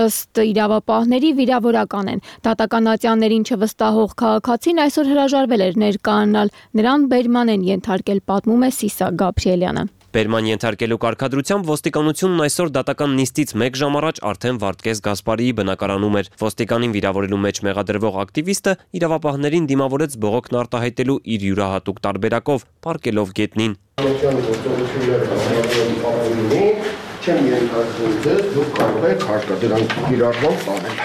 ըստ իրավապահների վիրավորական են։ Դատական ատյաններին չվստահող քաղաքացին այսօր հրաժարվել էր ներկայանալ, նրան բերման են ենթարկել, պատմում է Սիսա Գաբրիելյանը։ Բերման ենթարկելու կարգադրությամբ ոստիկանությունն այսօր դատական նիստից մեկ ժամ առաջ արդեն Վարդգես Գասպարիի բնակարանում էր։ Ոստիկանին վիրավորելու մեջ մեղադրվող ակտիվիստը իրավապահներին դիմավորեց բողոքն արտահայտելու իր յուրահատուկ տարբերակով, պառկելով գետնին։ Չեմ ենթարկում ձեզ, դուք կարող եք հարկադրան կիրառման տանել։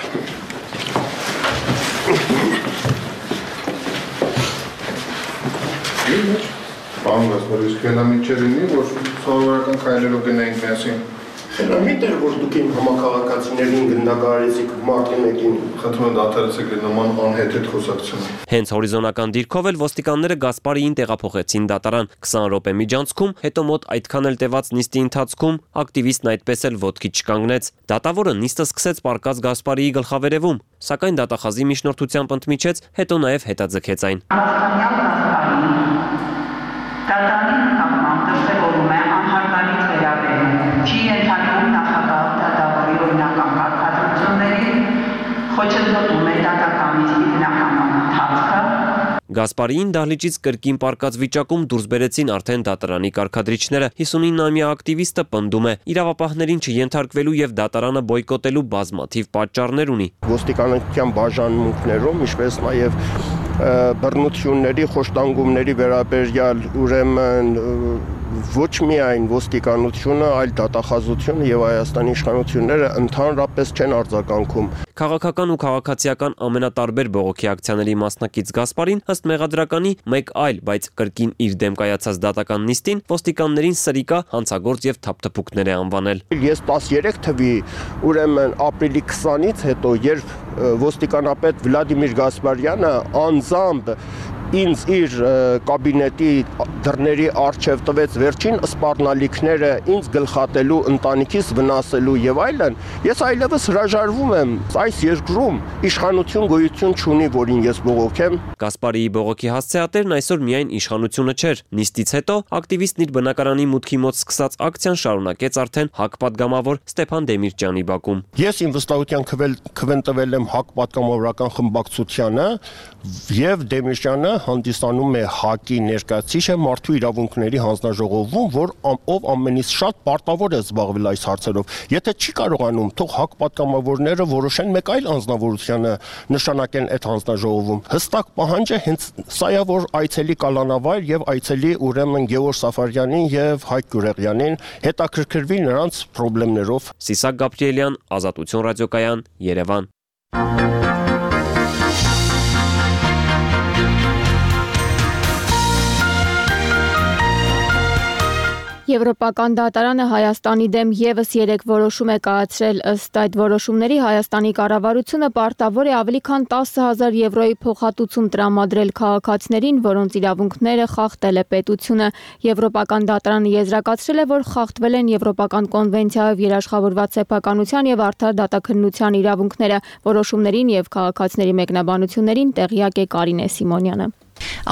Պարոն Գասպարի, իսկ հենամիջերինի, որ սովորական քայլերով գնայինք միասին։ Հենամիտ էր, որ դուք իմ համակարգացիներին գնդագարեցիք մարտի մեկին։ Խնդրում եմ դադարեցեք նման անհեթեթ խոսակցությունը։ Հենց հորիզոնական դիրքով էլ ոստիկանները Գասպարիին տեղափոխեցին դատարան։ քսան րոպե միջանցքում, հետո մոտ այդքան էլ տևած նիստի ընթացքում ակտիվիստն այդպես էլ ոտքի չկանգնեց։ Դատավորը նիստը սկսեց պառկած Գասպարիի գլխավերևում, սակայն դատախազի միջնորդությամբ ընդմիջեց, հետո նաև հետաձգեց այն։ Դատարանի նկատմամբ դրսևորում է անհարգալից վերաբերում, չի ենթարկվում նախագահ դատավորի օրինական կարգադրությունների, խոչընդոտում է դատական նիստի բնականոն ընթացքը։ Գասպարիին դահլիճից կրկին պառկած վիճակում դուրս բերեցին արդեն դատարանի կարգադրիչները։ հիսունինամյա ակտիվիստը պնդում է, իրավապահներին չենթարկվելու եւ դատարանը բոյկոտելու բազմաթիվ պատճառներ ունի։ Ոստիկանության բաժանմունքներում, ինչպես նաեւ բռնությունների, խոշտանգումների վերաբերյալ ուրեմն ոչ միայն ոստիկանությունը, այլ դատախազությունը եւ Հայաստանի իշխանությունները ընդհանրապես չեն արձագանքում։ Քաղաքական ու քաղաքացիական ամենատարբեր բողոքի ակցիաների մասնակից Գասպարին ըստ մեղադրականի մեկ այլ, բայց կրկին իր դեմ կայացած դատական նիստին ոստիկաններին սրիկա, հանցագործ եւ թափթփուկներ է անվանել։ Ես տասներեք թվի ուրեմն ապրիլի քսանից հետո, երբ ոստիկանապետ Վլադիմիր Գասպարյանը անձամբ ինձ իր կաբինետի դռների առջև տվեց վերջին սպառնալիքները ինձ գլխատելու, ընտանիքիս վնասելու եւ այլն, ես այլևս հրաժարվում եմ այս երկրում իշխանություն գոյություն չունի, որին ես բողոքեմ։ Գասպարիի բողոքի հասցեատերն այսօր միայն իշխանությունը չէր։ Նիստից հետո ակտիվիստն իր բնակարանի մուտքի մոտ սկսած ակցիան շարունակեց արդեն ՀԱԿ պատգամավոր Ստեփան Դեմիրճյանի բակում։ Ես իմ վստահության քվեն տվել եմ ՀԱԿ պատգամավորական խմբակցությանը եւ Դեմիրճյանը հանդիսանում է ՀԱԿ-ի ներկայացուցիչը մարդու իրավունքների հանձնաժողովում, որ ով ամենից շատ պարտավոր է զբաղվել այս հարցերով։ Եթե չի կարողանում, թող ՀԱԿ պատգամավորները որոշեն մեկ այլ անձնավորությանը նշանակեն այդ հանձնաժողովում։ Հստակ պահանջը հենց սա է, որ այցելի Կալանավայր եւ այցելի ուրեմն Գևորգ Սաֆարյանին եւ Հայկ Գյուրեղյանին հետաքրքրվի նրանց խնդիրներով։ Սիսակ Գաբրիելյան, Ազատություն ռադիոկայան, Երևան։ Եվրոպական դատարանը Հայաստանի դեմ ևս երեք որոշում է կայացրել, ըստ այդ որոշումների Հայաստանի կառավարությունը պարտավոր է ավելի քան տասը հազար եվրոյի փոխհատուցում տրամադրել քաղաքացիներին, որոնց իրավունքները խախտել է պետությունը։ Եվրոպական դատարանը եզրակացրել է, որ խախտվել են Եվրոպական կոնվենցիայով երաշխավորված սեփականության եւ արդար դատաքննության իրավունքները։ Որոշումներին եւ քաղաքացիների մեկնաբանություններին տեղյակ է Կարինե Սիմոնյանը։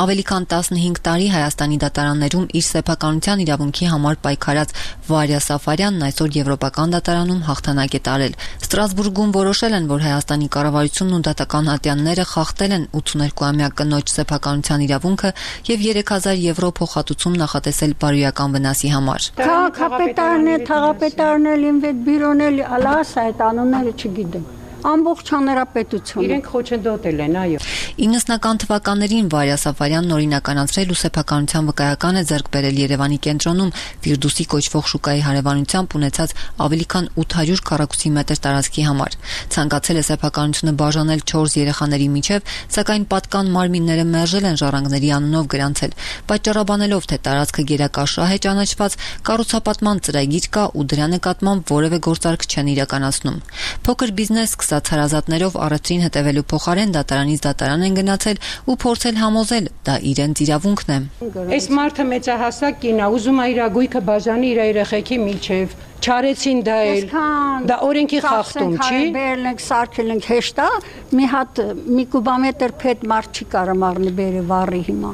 Ավելի քան տասնհինգ տարի Հայաստանի դատարաններում իր սեփականության իրավունքի համար պայքարած Վարյա Սաֆարյանն այսօր Եվրոպական դատարանում հաղթանակ է տարել։ Ստրասբուրգում որոշել են, որ Հայաստանի կառավարությունն ու դատական ատյանները խախտել են ութսուներկուամյա կնոջ սեփականության իրավունքը եւ երեք հազար եվրո փոխհատուցում նախատեսել բարոյական վնասի համար։ Քաղաքապետարն է, թաղապետարն է, ինվեստբյուրոն է, ալաս այդ անունները չգիտեմ։ Ամբողջ հանրապետություն։ Իրենք խոչընդոտել են, այո։ իննսունական թվականներին Վարյա Սաֆարյանն օրինականացրել ու սեփականության վկայական է ձեռք բերել Երևանի կենտրոնում Ֆիրդուսի կոչվող շուկայի հարևանությամբ ունեցած ավելի քան ութ հարյուր քառակուսի մետր տարածքի համար։ Ցանկացել է սեփականությունը բաժանել չորս երեխաների միջև, սակայն պատկան մարմինները մերժել են ժառանգների անունով գրանցել, պատճառաբանելով, թե տարածքը գերակաշահ է ճանաչված, կառուցապատման ծրագիր կա ու դրա նկատմամբ որևէ գործարք չեն իրականացնում։ Փոքր բիզնես հարազատներով առևտրին հետևելու փոխարեն դատարանից դատարան են գնացել ու փորձել համոզել, դա իրենց իրավունքն է։ Այս մարդը մեծահասակ կին է, ուզում է իր գույքը բաժանի իր երեխեքի միջև։ Չարեցին դա էլ։ Դա օրենքի խախտում չի։ Բերել ենք, սարքել ենք հեշտ է, մի հատ մի կուբամետր փետ մարդ չի կարող առնի բերի վառի հիմա։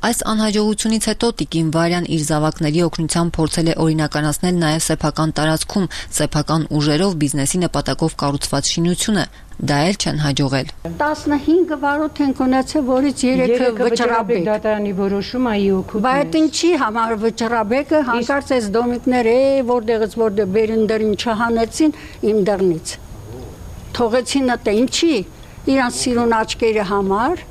Այս անհաջողությունից հետո տիկին Վարյան իր զավակների օգնությամբ փորձել է օրինականացնել նաև սեփական տարածքում սեփական ուժերով բիզնեսի նպատակով կառուցված շինությունը, դա էլ չեն հաջողել։ տասնհինգ վարոդ ենք ունեցել, որից երեքը վճռաբեկ դատարանի որոշումը ի օգուտ։ Բայց ինչի համար վճռաբեկը հանկարծ այս դոմիկները, որտեղից որտեղ բերին դրին չհանեցին իմ դռնից։ Թողեցին ըտե ինչի։ Իրանց սիրուն աչքերի համար։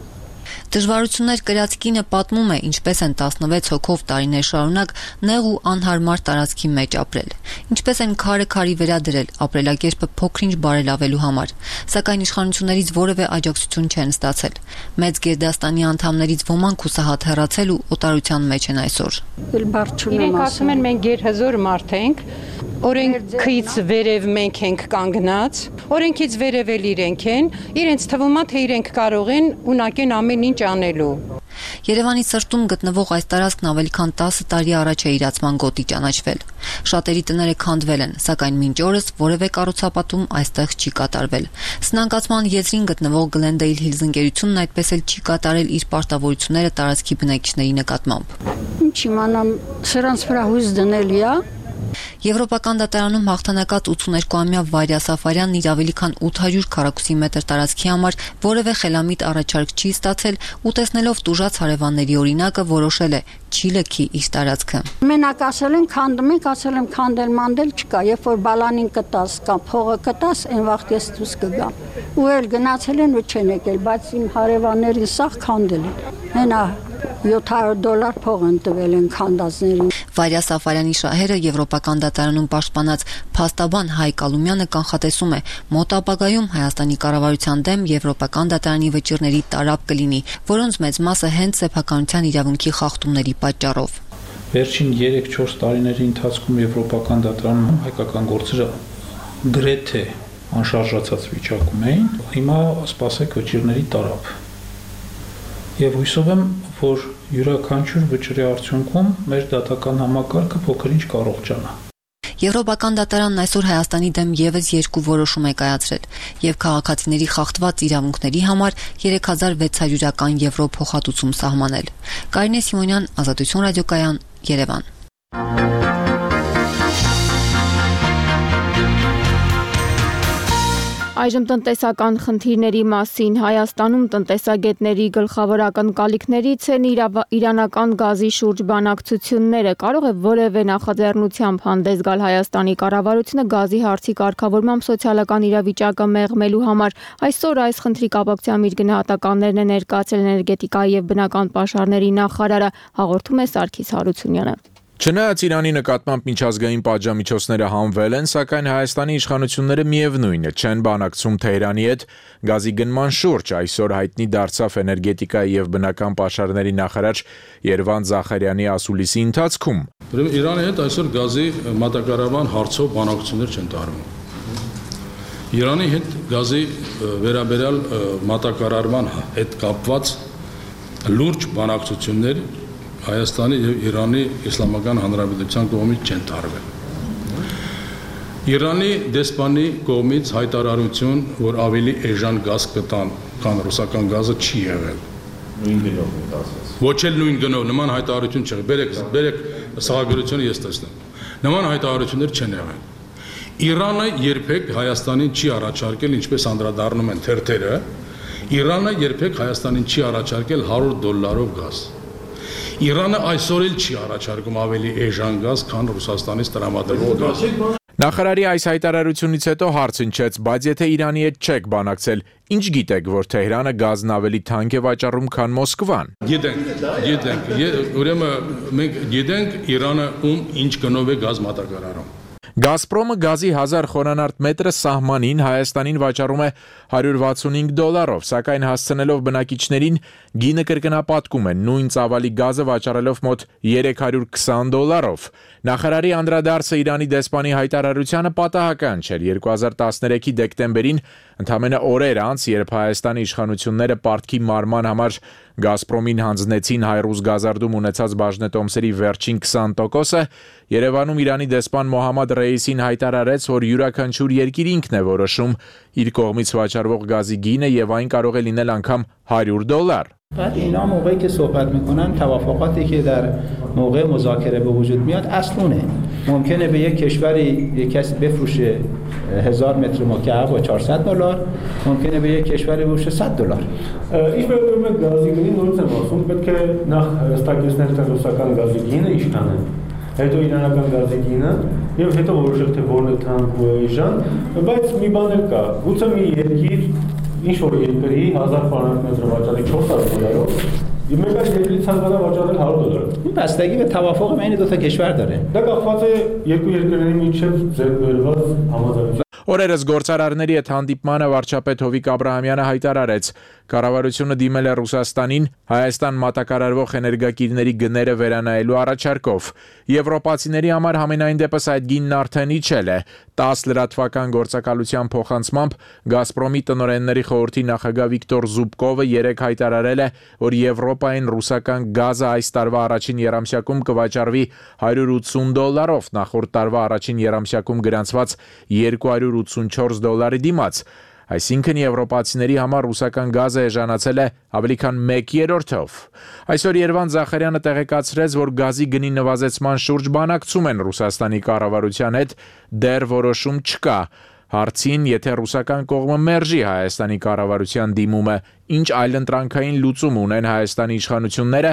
Դժվարություններ կրած կինը պատմում է, ինչպես են տասնվեց հոգով տարիներ շարունակ նեղ ու անհարմար տարածքի մեջ ապրել, ինչպես են քարը քարի վերադրել ապրելակերպը փոքրինչ բարելավելու համար, սակայն իշխանություններից որևէ աջակցություն չեն ստացել։ Մեծ Գերդաստանի անդամներից ոմանք հուսահատ հեռացել ու օտարության մեջ են այսօր։ Իրենք ասում են մենք գերհզոր մարդ ենք, օրենքից վերև մենք ենք կանգնած, օրենքից վերև էլ իրենք են, իրենց թվում է, թե իրենք կարող են ունակեն ամեն ինչ անելու։ Երևանի սրտում գտնվող այս տարածքն ավելի քան տասը տարի առաջ է իրացման գոտի ճանաչվել։ Շատերի տները քանդվել են, սակայն մինչ օրս որևէ կառուցապատում այստեղ չի կատարվել։ Սնանկացման եզրին գտնվող Glendale Hills ընկերությունն այդպես էլ չի կատարել իր պարտավորությունները տարածքի բնակիչների նկատմամբ։ Ինչ իմանամ, սրանց վրա հույս դնելի է։ Եվրոպական դատարանում հաղթանակած ութսուներկուամյա Վարյա Սաֆարյանն իր ավելի քան ութ հարյուր քառակուսի մետր տարածքի համար որևէ խելամիտ առաջարկ չի ստացել ու տեսնելով տուժած հարևանների օրինակը որոշել է չի լքի իր տարածքը։ Մենակ ասել են քանդում ենք, ասել եմ քանդել մանդել չկա, երբ որ բալանին կտաս կամ փողը կտաս, այն վաղ ես դուրս կգամ։ Ու էլ գնացել են ու չեն եկել, բայց իմ հարևաններին սաղ քանդել են։ Հենա յոթ հարյուր դոլար փող են տվել են քանդածներին։ Վարյա Սաֆարյանի շահերը Եվրոպական դատարանում պաշտպանած փաստաբան Հայկ Ալումյանը կանխատեսում է մոտ ապագայում Հայաստանի կառավարության դեմ Եվրոպական դատարանի վճիռների տարապ կլինի, որոնց մեծ մասը հենց սեփականության իրավունքի խախտումների պատճառով։ Վերջին երեք-չորս տարիների ընթացքում Եվրոպական դատարանում հայկական գործերը գրեթե անշարժացած վիճակում էին, հիմա սպասեք վճիռների տարապ։ Եվ հույսով եմ, որ յուրաքանչյուր վճռի արդյունքում մեր դատական համակարգը փոքր-ինչ կառողջանա։ Եվրոպական դատարանն այսօր Հայաստանի դեմ ևս երկու որոշում է կայացրել եւ քաղաքացիների խախտված իրավունքների համար երեք հազար վեց հարյուրական եվրո փոխհատուցում սահմանել։ Կարինե Սիմոնյան, Ազատություն ռադիոկայան, Երևան։ Այժմ տնտեսական խնդիրների մասին Հայաստանում տնտեսագետների գլխավոր ակնկալիքներից են իրանական գազի շուրջ բանակցությունները։ Կարող է որևէ նախաձեռնությամբ հանդես գալ Հայաստանի կառավարությունը գազի հարցի կարգավորմամբ սոցիալական իրավիճակը մեղմելու համար։ Այսօր այս խնդրի կապակցությամբ իր գնահատականներն է ներկայացրել էներգետիկայի եւ բնական պաշարների նախարարը, հաղորդում է Սարգիս Հարությունյանը։ Չնայած Իրանի նկատմամբ միջազգային պատժամիջոցները հանվել են, սակայն Հայաստանի իշխանությունները միևնույն է չեն բանակցում Թեհրանի հետ գազի գնման շուրջ, այսօր հայտնի դարձավ էներգետիկայի եւ բնական պաշարների նախարար Երվան Զախարյանի ասուլիսի ընթացքում։ Իրանի հետ այսօր գազի մատակարարման հարցով բանակցություններ չեն տարվում։ Իրանի հետ գազի վերաբերյալ մատակարարման հետ կապված լուրջ բանակցություններ Հայաստանի եւ Իրանի Իսլամական Հանրապետության կողմից չեն տարվել։ Իրանի դեսպանի կողմից հայտարարություն, որ ավելի էժան գազ կտան, քան ռուսական գազը չի եղել։ Նույն գնով ասած։ Ոչ էլ նույն գնով, նման հայտարարություն չեղել։ Բերեք, բերեք սահագրությունը ես տեսնեմ։ Նման հայտարարություններ չեն եղել։ Իրանը երբեք Հայաստանին չի առաջարկել, ինչպես անդրադառնում են թերթերը, Իրանը երբեք Հայաստանին չի առաջարկել հարյուր դոլարով գազ։ Իրանը այսօր էլ չի առաջարկում ավելի էժան գազ, քան Ռուսաստանից տրամադրվող գազ։ Նախարարի այս հայտարարությունից հետո հարց հնչեց, բայց եթե Իրանի հետ չեք բանակցել, ինչ գիտեք, որ Թեհրանը գազն ավելի թանկ է վաճառում, քան Մոսկվան։ Գիտենք, գիտենք, ուրեմն մենք գիտենք Իրանը ում ինչ գնով է գազ մատակարարում։ Գազպրոմը գազի հազար խորանարդ մետրը սահմանին Հայաստանին վաճառում է հարյուր վաթսունհինգ դոլարով, սակայն հասցնելով բնակիչներին գինը կրկնապատկում է նույն ծավալի գազը վաճառելով մոտ երեք հարյուր քսան դոլարով։ Նախարարի անդրադարձը Իրանի դեսպանի հայտարարությանը պատահական չէր։ երկու հազար տասներեքի դեկտեմբերին, ընդամենը օրեր անց, երբ Հայաստանի իշխանությունները պարտքի մարման համար Գազպրոմին հանձնեցին Հայրուզ գազարդում ունեցած բաժնետոմսերի վերջին քսան տոկոսը, Երևանում Իրանի դեսպան Մոհամմադ Ռեյիսին հայտարարեց, որ յուրաքանչյուր երկիր ինքն է որոշում իր կողմից վաճառվող գազի գինը եւ այն կարող է լինել անգամ հարյուր դոլար։ بعد اینا موقعی که صحبت میکنن توافقاتی که در موقع مذاکره به وجود میاد اصلونه ممکنه به یک کشوری یک کسی بفروشه هزار متر مکعب با چهارصد دلار ممکنه به یک کشوری بفروشه صد دلار Ինչ վերաբերում է գազի գնին նորից եմ ասում պետք է նախ հստակեցնել թե ռուսական գազի գինը ինչքան է հետո իրանական գազի գինը եւ հետո որոշել թե որն է թանկ ու էժան բայց մի բան էլ կա գուցե մի երկիր ինչ որ երկրի հազար քվադրատ վաճառի չորս հարյուր դոլարով Մեկ այլ երկրի ցանկանա վաճառել հարյուր դոլար։ بستگی به توافق بین دو تا کشور داره. Դա կապված է երկու երկրների միջև ձեռք բերված համաձայնություն։ Օրերս գործարարների հետ հանդիպմանը վարչապետ Հովիկ Աբրահամյանը հայտարարեց, կառավարությունը դիմել է Ռուսաստանին Հայաստան մատակարարվող էներգակիրների գները վերանայելու առաջարկով։ Եվրոպացիների համար համենայն դեպս այդ գինն արդեն իջել է։ տասը լրատվական գործակալության փոխանցմամբ Գազպրոմի տնօրենների խորհրդի նախագահ Վիկտոր Զուբկովը երեկ հայտարարել է, որ Եվրոպային ռուսական գազը այս տարվա առաջին եռամսյակում կվաճառվի հարյուր ութսուն դոլարով, նախորդ տարվա առաջին եռամսյակում գրանցված երկու հարյուր ութսունչորս դոլարի դիմաց։ Այսինքն եվրոպացիների համար ռուսական գազը էժանացել է ավելի քան մեկ երրորդով։ Այսօր Երվան Զախարյանը տեղեկացրեց, որ գազի գնի նվազեցման շուրջ բանակցում են Ռուսաստանի կառավարության հետ, դեռ որոշում չկա։ Հարցին, եթե ռուսական կողմը մերժի Հայաստանի կառավարության դիմումը, ինչ այլընտրանքային լուծում ունեն Հայաստանի իշխանությունները,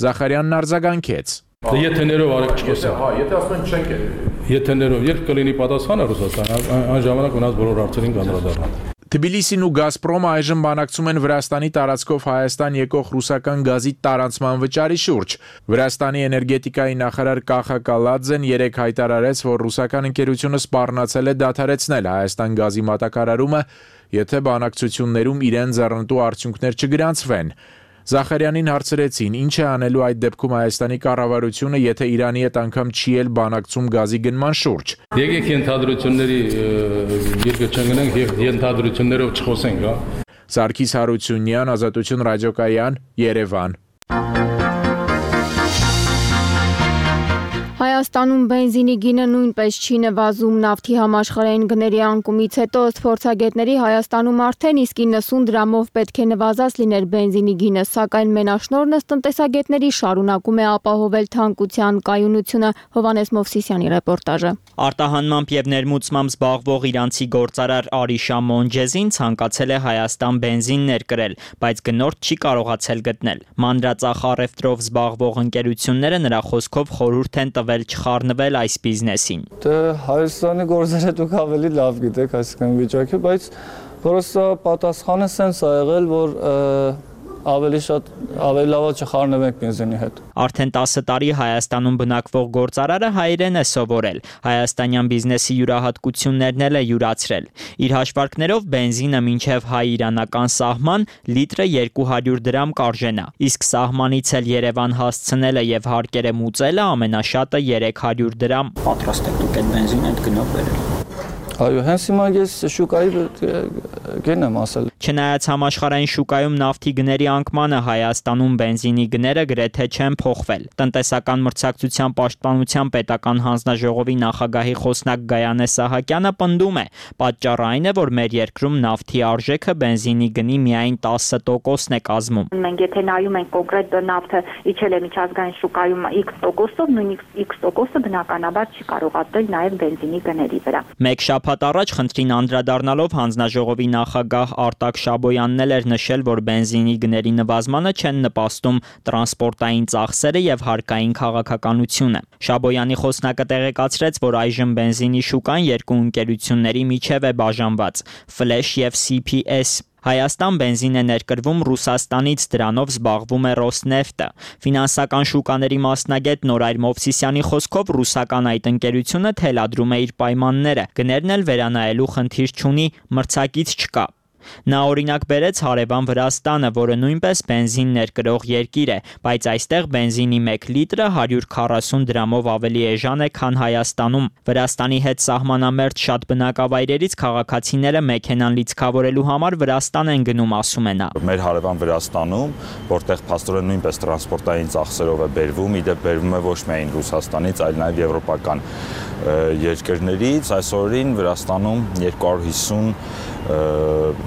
Զախարյանն արձագանքեց. Եթե ներով արեք չկոսա։ Հա, եթե ասում են չենք Եթե ներով երբ կլինի պատասխանը Ռուսաստանը, այն ժամանակ ունած բոլոր հարցերին կանդրադառնան։ Թբիլիսին ու Գազպրոմը այժմ բանակցում են Վրաստանի տարածքով Հայաստան եկող ռուսական գազի տարանցման վճարի շուրջ։ Վրաստանի էներգետիկայի նախարար Կախա Կալաձեն երեկ հայտարարեց, որ ռուսական ընկերությունը սպառնացել է դադարեցնել Հայաստան գազի մատակարարումը, եթե բանակցություններում իրեն ձեռնտու արդյունքներ չգրանցվեն։ Զախարյանին հարցրեցին, ինչ է անելու այդ դեպքում Հայաստանի կառավարությունը, եթե Իրանի հետ անգամ չի էլ բանակցում գազի գնման շուրջ։ Եկեք ենթադրությունների երկը չընկնենք եւ ենթադրություններով չխոսենք, հա։ Սարգիս Հարությունյան, Ազատություն ռադիոկայան, Երևան։ Հայաստանում բենզինի գինը նույնպես չի նվազում։ Նավթի համաշխարհային գների անկումից հետո ըստ փորձագետների Հայաստանում արդեն իսկ իննսուն դրամով պետք է նվազած լիներ բենզինի գինը, սակայն մենաշնորհն ըստ տնտեսագետների շարունակում է ապահովել թանկության կայունությունը։ Հովհաննես Մովսիսյանի ռեպորտաժը։ Արտահանմամբ եւ ներմուծմամբ զբաղվող իրանցի գործարար Արիշա Մոնջեզին ցանկացել է Հայաստան բենզին ներկրել, բայց գնորդ չի կարողացել գտնել։ Մանրածախ առևտրով զբաղվող ընկերությունները նրա խոսքով խորհուրդ են տվել չխառնվել այս բիզնեսին։ Դե Հայաստանի գործերը դուք ավելի լավ գիտեք այսքան վիճակը, բայց պրոստը պատասխանը սենց ա եղել, որ ավելի շատ ավելի լավ է չխառնվենք բենզինի հետ։ Արդեն տասը տարի Հայաստանում բնակվող գործարարը հայերեն է սովորել, հայաստանյան բիզնեսի յուրահատկություններն էլ է յուրացրել։ Իր հաշվարկներով բենզինը մինչև հայ-իրանական սահման լիտրը երկու հարյուր դրամ կարժենա, իսկ սահմանից էլ Երևան հասցնելը եւ հարկերը մուծելը ամենաշատը երեք հարյուր դրամ։ Պատրաստ եք դուք այդ բենզինը այդ գնով բերել։ Այո, հենց հիմա ես շուկայի գնեմ ասել։ Չնայած համաշխարհային շուկայում նավթի գների անկմանը Հայաստանում բենզինի գները գրեթե չեն փոխվել։ Տնտեսական մրցակցության պաշտպանության պետական հանձնաժողովի նախագահի խոսնակ Գայանե Սահակյանը պնդում է, պատճառը այն է, որ մեր երկրում նավթի արժեքը բենզինի գնի միայն տասը տոկոսն է կազմում։ Մենք եթե նայում ենք կոնկրետ նավթը իջել է միջազգային շուկայում X տոկոսով, նույն X տոկոսը բնականաբար չի կարողացել նաև բենզինի գների վրա։ Մեկ շաբաթ առաջ խնդրին անդրադառնալով հանձնաժողովի նախագահ Արտակ Շաբոյանն էլ էր նշել, որ բենզինի գների նվազմանը չեն նպաստում տրանսպորտային ծախսերը եւ հարկային քաղաքականությունը։ Շաբոյանի խոսնակը տեղեկացրեց, որ այժմ բենզինի շուկան երկու ընկերությունների միջև է բաժանված՝ Flash եւ C P S։ Հայաստան բենզին է ներկրվում Ռուսաստանից, դրանով զբաղվում է Ռոսնեֆտը։ Ֆինանսական շուկաների մասնագետ Նորայր Մովսիսյանի խոսքով ռուսական այդ ընկերությունը թելադրում է իր պայմանները, գներն էլ վերանայելու խնդիր չունի, մրցակից չկա։ Նա օրինակ բերեց հարևան Վրաստանը, որը նույնպես բենզին ներկրող երկիր է, բայց այստեղ բենզինի մեկ լիտրը հարյուր քառասուն դրամով ավելի էժան է, քան Հայաստանում։ Վրաստանի հետ սահմանամերձ շատ բնակավայրերից քաղաքացիները մեքենան լիցքավորելու համար Վրաստան են գնում, ասում է նա։ Մեր հարևան Վրաստանում, որտեղ փաստորեն նույնպես տրանսպորտային ծախսերով է բերվում, իդեպ բերվում է ոչ միայն Ռուսաստանից, այլ նաև եվրոպական երկրներից, այսօրին Վրաստանում երկու հարյուր հիսուն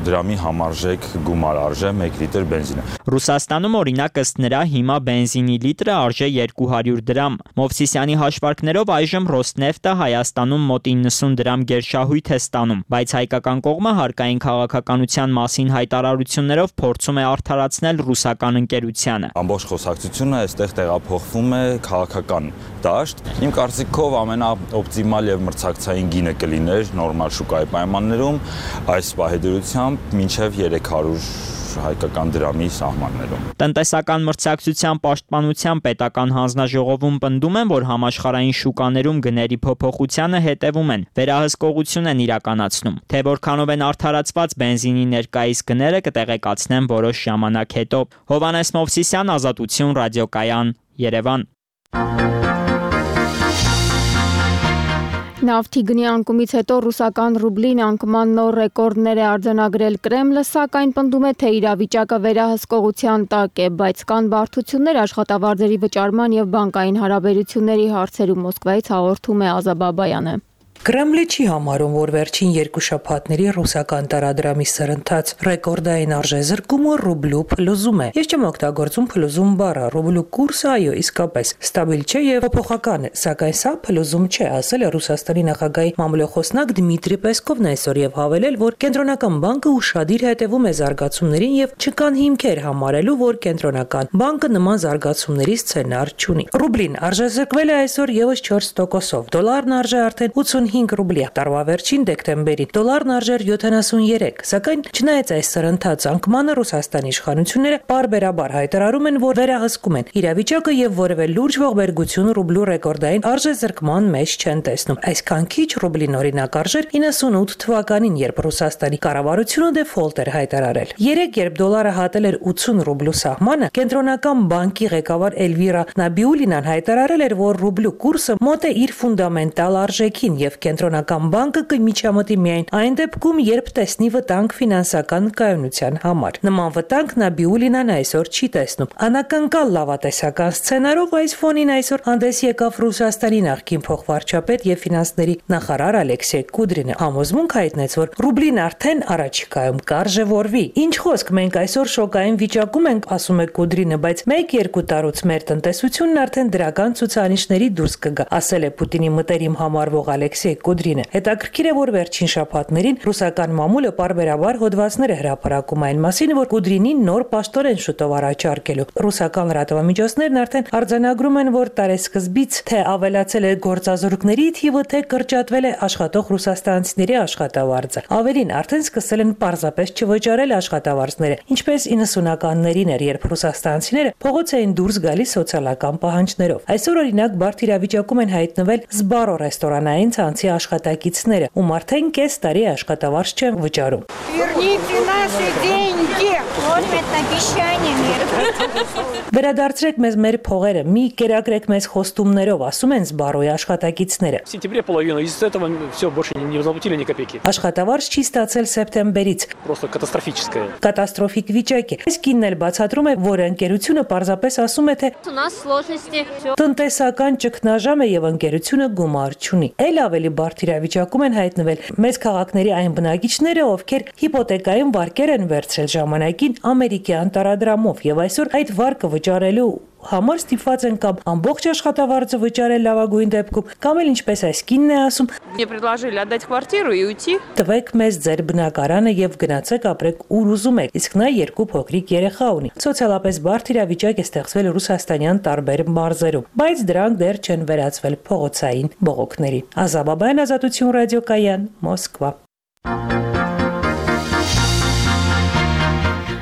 դրամի համարժեք գումար արժե մեկ լիտր բենզինը։ Ռուսաստանում օրինակ ըստ նրա հիմա բենզինի լիտրը արժե երկու հարյուր դրամ։ Մովսիսյանի հաշվարկներով այժմ Ռոսնեֆտը Հայաստանում մոտ իննսուն դրամ գերշահույթ է ստանում, բայց հայկական կողմը հարկային քաղաքականության մասին հայտարարություններով փորձում է արդարացնել ռուսական ընկերությանը։ Ամբողջ խոսակցությունը այստեղ տեղափոխվում է քաղաքական դաշտ։ Իմ կարծիքով ամենաօպտիմալ եւ մրցակցային գինը կլիներ նորմալ շուկայի պայմաններում այս պահեդրությամբ մինչև երեք հարյուր հայկական դրամի սահմաններում։ Տնտեսական մրցակցության պաշտպանության պետական հանձնաժողովում պնդում են, որ համաշխարհային շուկաներում գների փոփոխությանը հետևում են, վերահսկողություն են իրականացնում։ Թե որքանով են արդարացված բենզինի ներկայիս գները կտեղեկացնեն որոշ ժամանակ հետո։ Հովհաննես Մովսիսյան, Ազատություն, ռադիոկայան, Երևան։ Նավթի գնի անկումից հետո ռուսական ռուբլին անկման նոր ռեկորդներ է արձանագրել Կրեմլը, սակայն պնդում է, թե իրավիճակը վերահսկողության տակ է, բայց կան բարդություններ աշխատավարձերի վճարման եւ բանկային հարաբերությունների հարցերում, Մոսկվայից հաղորդում է Ազա Բաբայանը։ Կրեմլը չի համարում, որ վերջին երկու շաբաթների ռուսական տարադրամի սրընթաց ռեկորդային արժեզրկումը ռուբլու փլուզում է։ Ես չեմ օգտագործում փլուզում բառը, ռուբլու կուրսը այո իսկապես ստաբիլ չէ եւ փոփոխական է, սակայն սա փլուզում չէ, ասել է Ռուսաստանի նախագահի մամլոխոսնակ Դմիտրի Պեսկովն այսօր եւ հավելել, որ կենտրոնական բանկը ուշադիր հետևում է զարգացումներին եւ չկան հիմքեր համարելու, որ կենտրոնական բանկը նման զարգացումների սցենար չունի։ Ռուբլին արժեզրկվել է այսօր եւս չորս տոկոսով, դոլարն արժե արդեն ութսունհինգ ռուբլի, տարվա վերջին դեկտեմբերին դոլարն արժեր յոթանասունյերեք, սակայն չնայած այս սրընթաց անկմանը Ռուսաստանի իշխանությունները պարբերաբար հայտարարում են, որ վերահսկում են իրավիճակը եւ որևէ լուրջ ողբերգություն ռուբլու ռեկորդային արժեզրկման մեջ չեն տեսնում։ Այսքան քիչ ռուբլին օրինակ արժեր իննսունութ թվականին, երբ Ռուսաստանի կառավարությունը դեֆոլտ էր հայտարարել։ Երեք, երբ դոլարը հատել էր ութսուն ռուբլու սահմանը, կենտրոնական բանկի ղեկավար Էլվիրա Նաբիուլինան հայտարարել էր, որ ռուբլու կուրսը մոտ է իր ֆունդամենտալ արժեքին եւ կենտրոնական բանկը կմիջամտի միայն այն դեպքում, երբ տեսնի վտանգ ֆինանսական կայունության համար։ Նման վտանգ Նաբիուլինան այսօր չի տեսնում։ Անակնկալ լավատեսական սցենարով այս ֆոնին այսօր հանդես եկավ Ռուսաստանի նախկին փոխվարչապետ եւ ֆինանսների նախարար Ալեքսեյ Կուդրինը։ Համոզմունք հայտնեց, որ ռուբլին արդեն առաջիկայում կարժևորվի։ Ինչ խոսք, մենք այսօր շոկային վիճակում ենք, ասում է Կուդրինը, բայց մեկ-երկու տարուց մեր տնտեսությունն արդեն դրական ցուցանիշների դուրս կգա, ասել է Պուտինի մտերիմ համարվող Ալեքսեյ Կուդրինը։ Հետաքրքիր է, որ վերջին շաբաթներին ռուսական մամուլը պարբերաբար հոդվածներ է հրապարակում այն մասին, որ Կուդրինին նոր պաշտորեն շուտով առաջարկելու։ Ռուսական լրատվամիջոցներն արդեն արձանագրում են, որ տարեսկզբից թե ավելացել է գործազուրկների թիվը, թե կրճատվել է աշխատող ռուսաստանցիների աշխատավարձը։ Ավելին, արդեն սկսել են պարզապես չվճարել աշխատավարձները, ինչպես իննսունականներին էր, երբ ռուսաստանցիները փողոց էին դուրս գալիս սոցիալական պահանջներով։ Այսօր օրինակ բարդ իրավիճակում են հայտնվել Զբարո ռեստորանային ցանցի աշխատակիցները, ում արդեն կես տարի աշխատավարձ չեն վճարում։ Վերադարձրեք մեզ մեր փողերը, մի կերակրեք մեզ խոստումներով, ասում են Զբարոյի աշխատակիցները։ Աշխատավարձ չի ստացել սեպտեմբերից։ Կատաստրոֆիկ վիճակ է։ Այս կինն էլ բացատրում է, որ ընկերությունը պարզապես ասում է, թե տնտեսական ճգնաժամ է եւ ընկերությունը գումար չունի։ Էլ ավելի բարդ իրավիճակում են հայտնվել մեծ քաղաքների այն բնակիչները, ովքեր հիպոթեկային վարկեր են վերցրել ժամանակին ամերիկյան տարադրամով եւ այսօր այդ վարկը վճարելու համար ստիպված են կամ ամբողջ աշխատավարձը վճարել լավագույն դեպքում, կամ էլ ինչպես այս կինն է ասում, տվեք մեզ ձեր բնակարանը եւ գնացեք ապրեք ուր ուզում եք, իսկ նա երկու փոքրիկ երեխա ունի։ Սոցիալապես բարդ իրավիճակ է ստեղծվել ռուսաստանյան տարբեր մարզերում, բայց դրանք դեռ չեն վերածվել փողոցային բողոքների։ Ազաբաբյան, Ազատություն ռադիոկայան, Մոսկվա։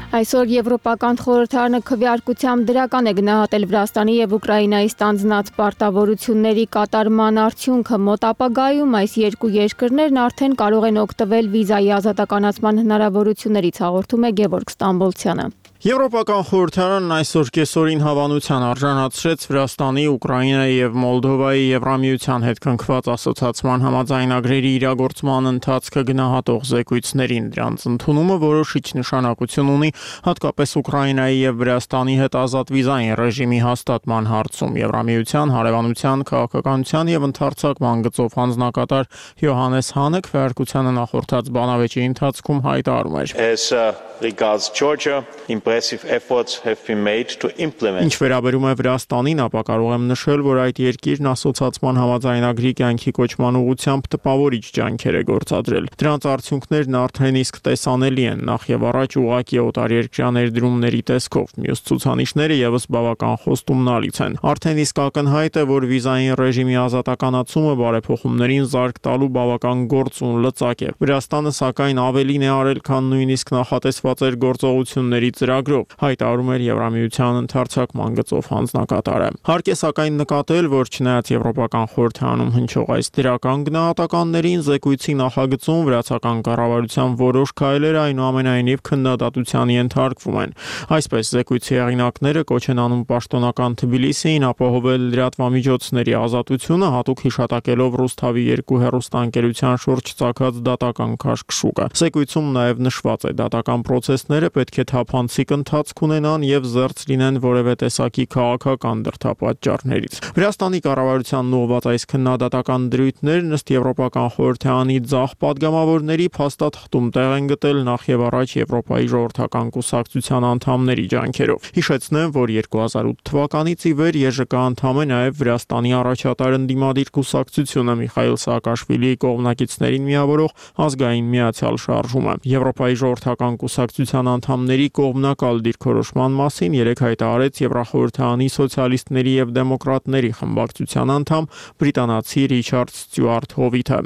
Այսօր Եվրոպական խորհրդարանը քվեարկությամբ դրական է գնահատել Վրաստանի եւ Ուկրաինայի ստանձնած պարտավորությունների կատարման արդյունքը։ Մոտ ապագայում այս երկու երկրներն արդեն կարող են օգտվել վիզայի ազատականացման հնարավորություններից, հաղորդում է Գևորգ Ստամբոլցյանը։ Եվրոպական խորհրդարանն այսօր կեսօրին հավանության արժանացրեց Վրաստանի, Ուկրաինայի եւ Մոլդովայի Եվրամիության հետ կնքված ասոցիացման համաձայնագրերի իրագործման ընթացքը գնահատող զեկույցներին։ Դրանց ընդունումը որոշիչ նշանակություն ունի հատկապես Ուկրաինայի եւ Վրաստանի հետ ազատ վիզային ռեժիմի հաստատման հարցում։ Եվրամիության հարևանության, քաղաքականության եւ ընդարձակման գծով հանձնակատար Յոհանես Հանը քվեարկությանը նախորդած բանավեճի ընթացքում հայտարարում էր. Regards Georgia, impressive efforts have been made to implement. Ինչ վերաբերում է Վրաստանին, ապա կարող եմ նշել, որ այդ երկիրն ասոցիացման համաձայնագրի կյանքի կոչման ուղղությամբ տպավորիչ ջանքեր է գործադրել։ Դրանց արդյունքներն արդեն իսկ տեսանելի են, նախ եւ առաջ ուղղակի օտարերկրյա ներդրումների տեսքով։ Մյուս ցուցանիշները եւս բավական խոստումնալից են։ Արդեն իսկ ակնհայտ է, որ վիզային ռեժիմի ազատականացումը բարեփոխումներին զարգ տալու բավական գործուն լծակ է։ Վրաստանը սակայն ավելին է արել, քան նույնիսկ նախատեսված էր գործողությունների ծրագրով, հայտարարում էր Եվրամիության ընդարձակման գծով հանձնակատարը։ Հարկ է սակայն նկատել, որ չնայած Եվրոպական խորհրդարանում հնչող այս դրական գնահատականներին, զեկույցի նախագծում վրացական կառավարության որոշ քայլեր այնուամենայնիվ քննադատության ենթարկվում են։ Այսպես զեկույցի հեղինակները կոչ են անում պաշտոնական Թբիլիսիին ապահովել լրատվամիջոցների ազատությունը, հատուկ հիշատակելով Ռուսթավի երկու հեռուստաընկերության շուրջ ծագած դատական քաշքշուկը։ Զեկույցում նաև նշված է դատական պրոցեսները պետք է թափանցիկ ընթացք ունենան եւ զերծ լինեն որևէ տեսակի քաղաքական դրդապատճառներից։ Վրաստանի կառավարությանն ուղղված այս քննադատական դրույթներն ըստ Եվրոպական խորհրդարանի ձախ падգամավորների փաստաթղթում տեղ են գտել նախ եւ առաջ Եվրոպայի ժողովրդական կուսակցության անդամների ջանքերով։ Հիշեցնեմ, որ երկու հազար ութ թվականից ի վեր ԵԺԿ անդամ է նաեւ Վրաստանի առաջատար ընդդիմադիր կուսակցությունը Միխայիլ Սաակաշվիլիի կողմնակիցներին միավորող ազգային միացյալ շարժումը։ Եվրոպայի ժողովրդական կուսակցության անդամների կողմնակալ դիրքորոշման մասին երեկ հայտարարեց Եվրախորհրդարանի սոցիալիստների եւ դեմոկրատների խմբակցության անդամ բրիտանացի Ռիչարդ Ստյուարտ Հովիթը։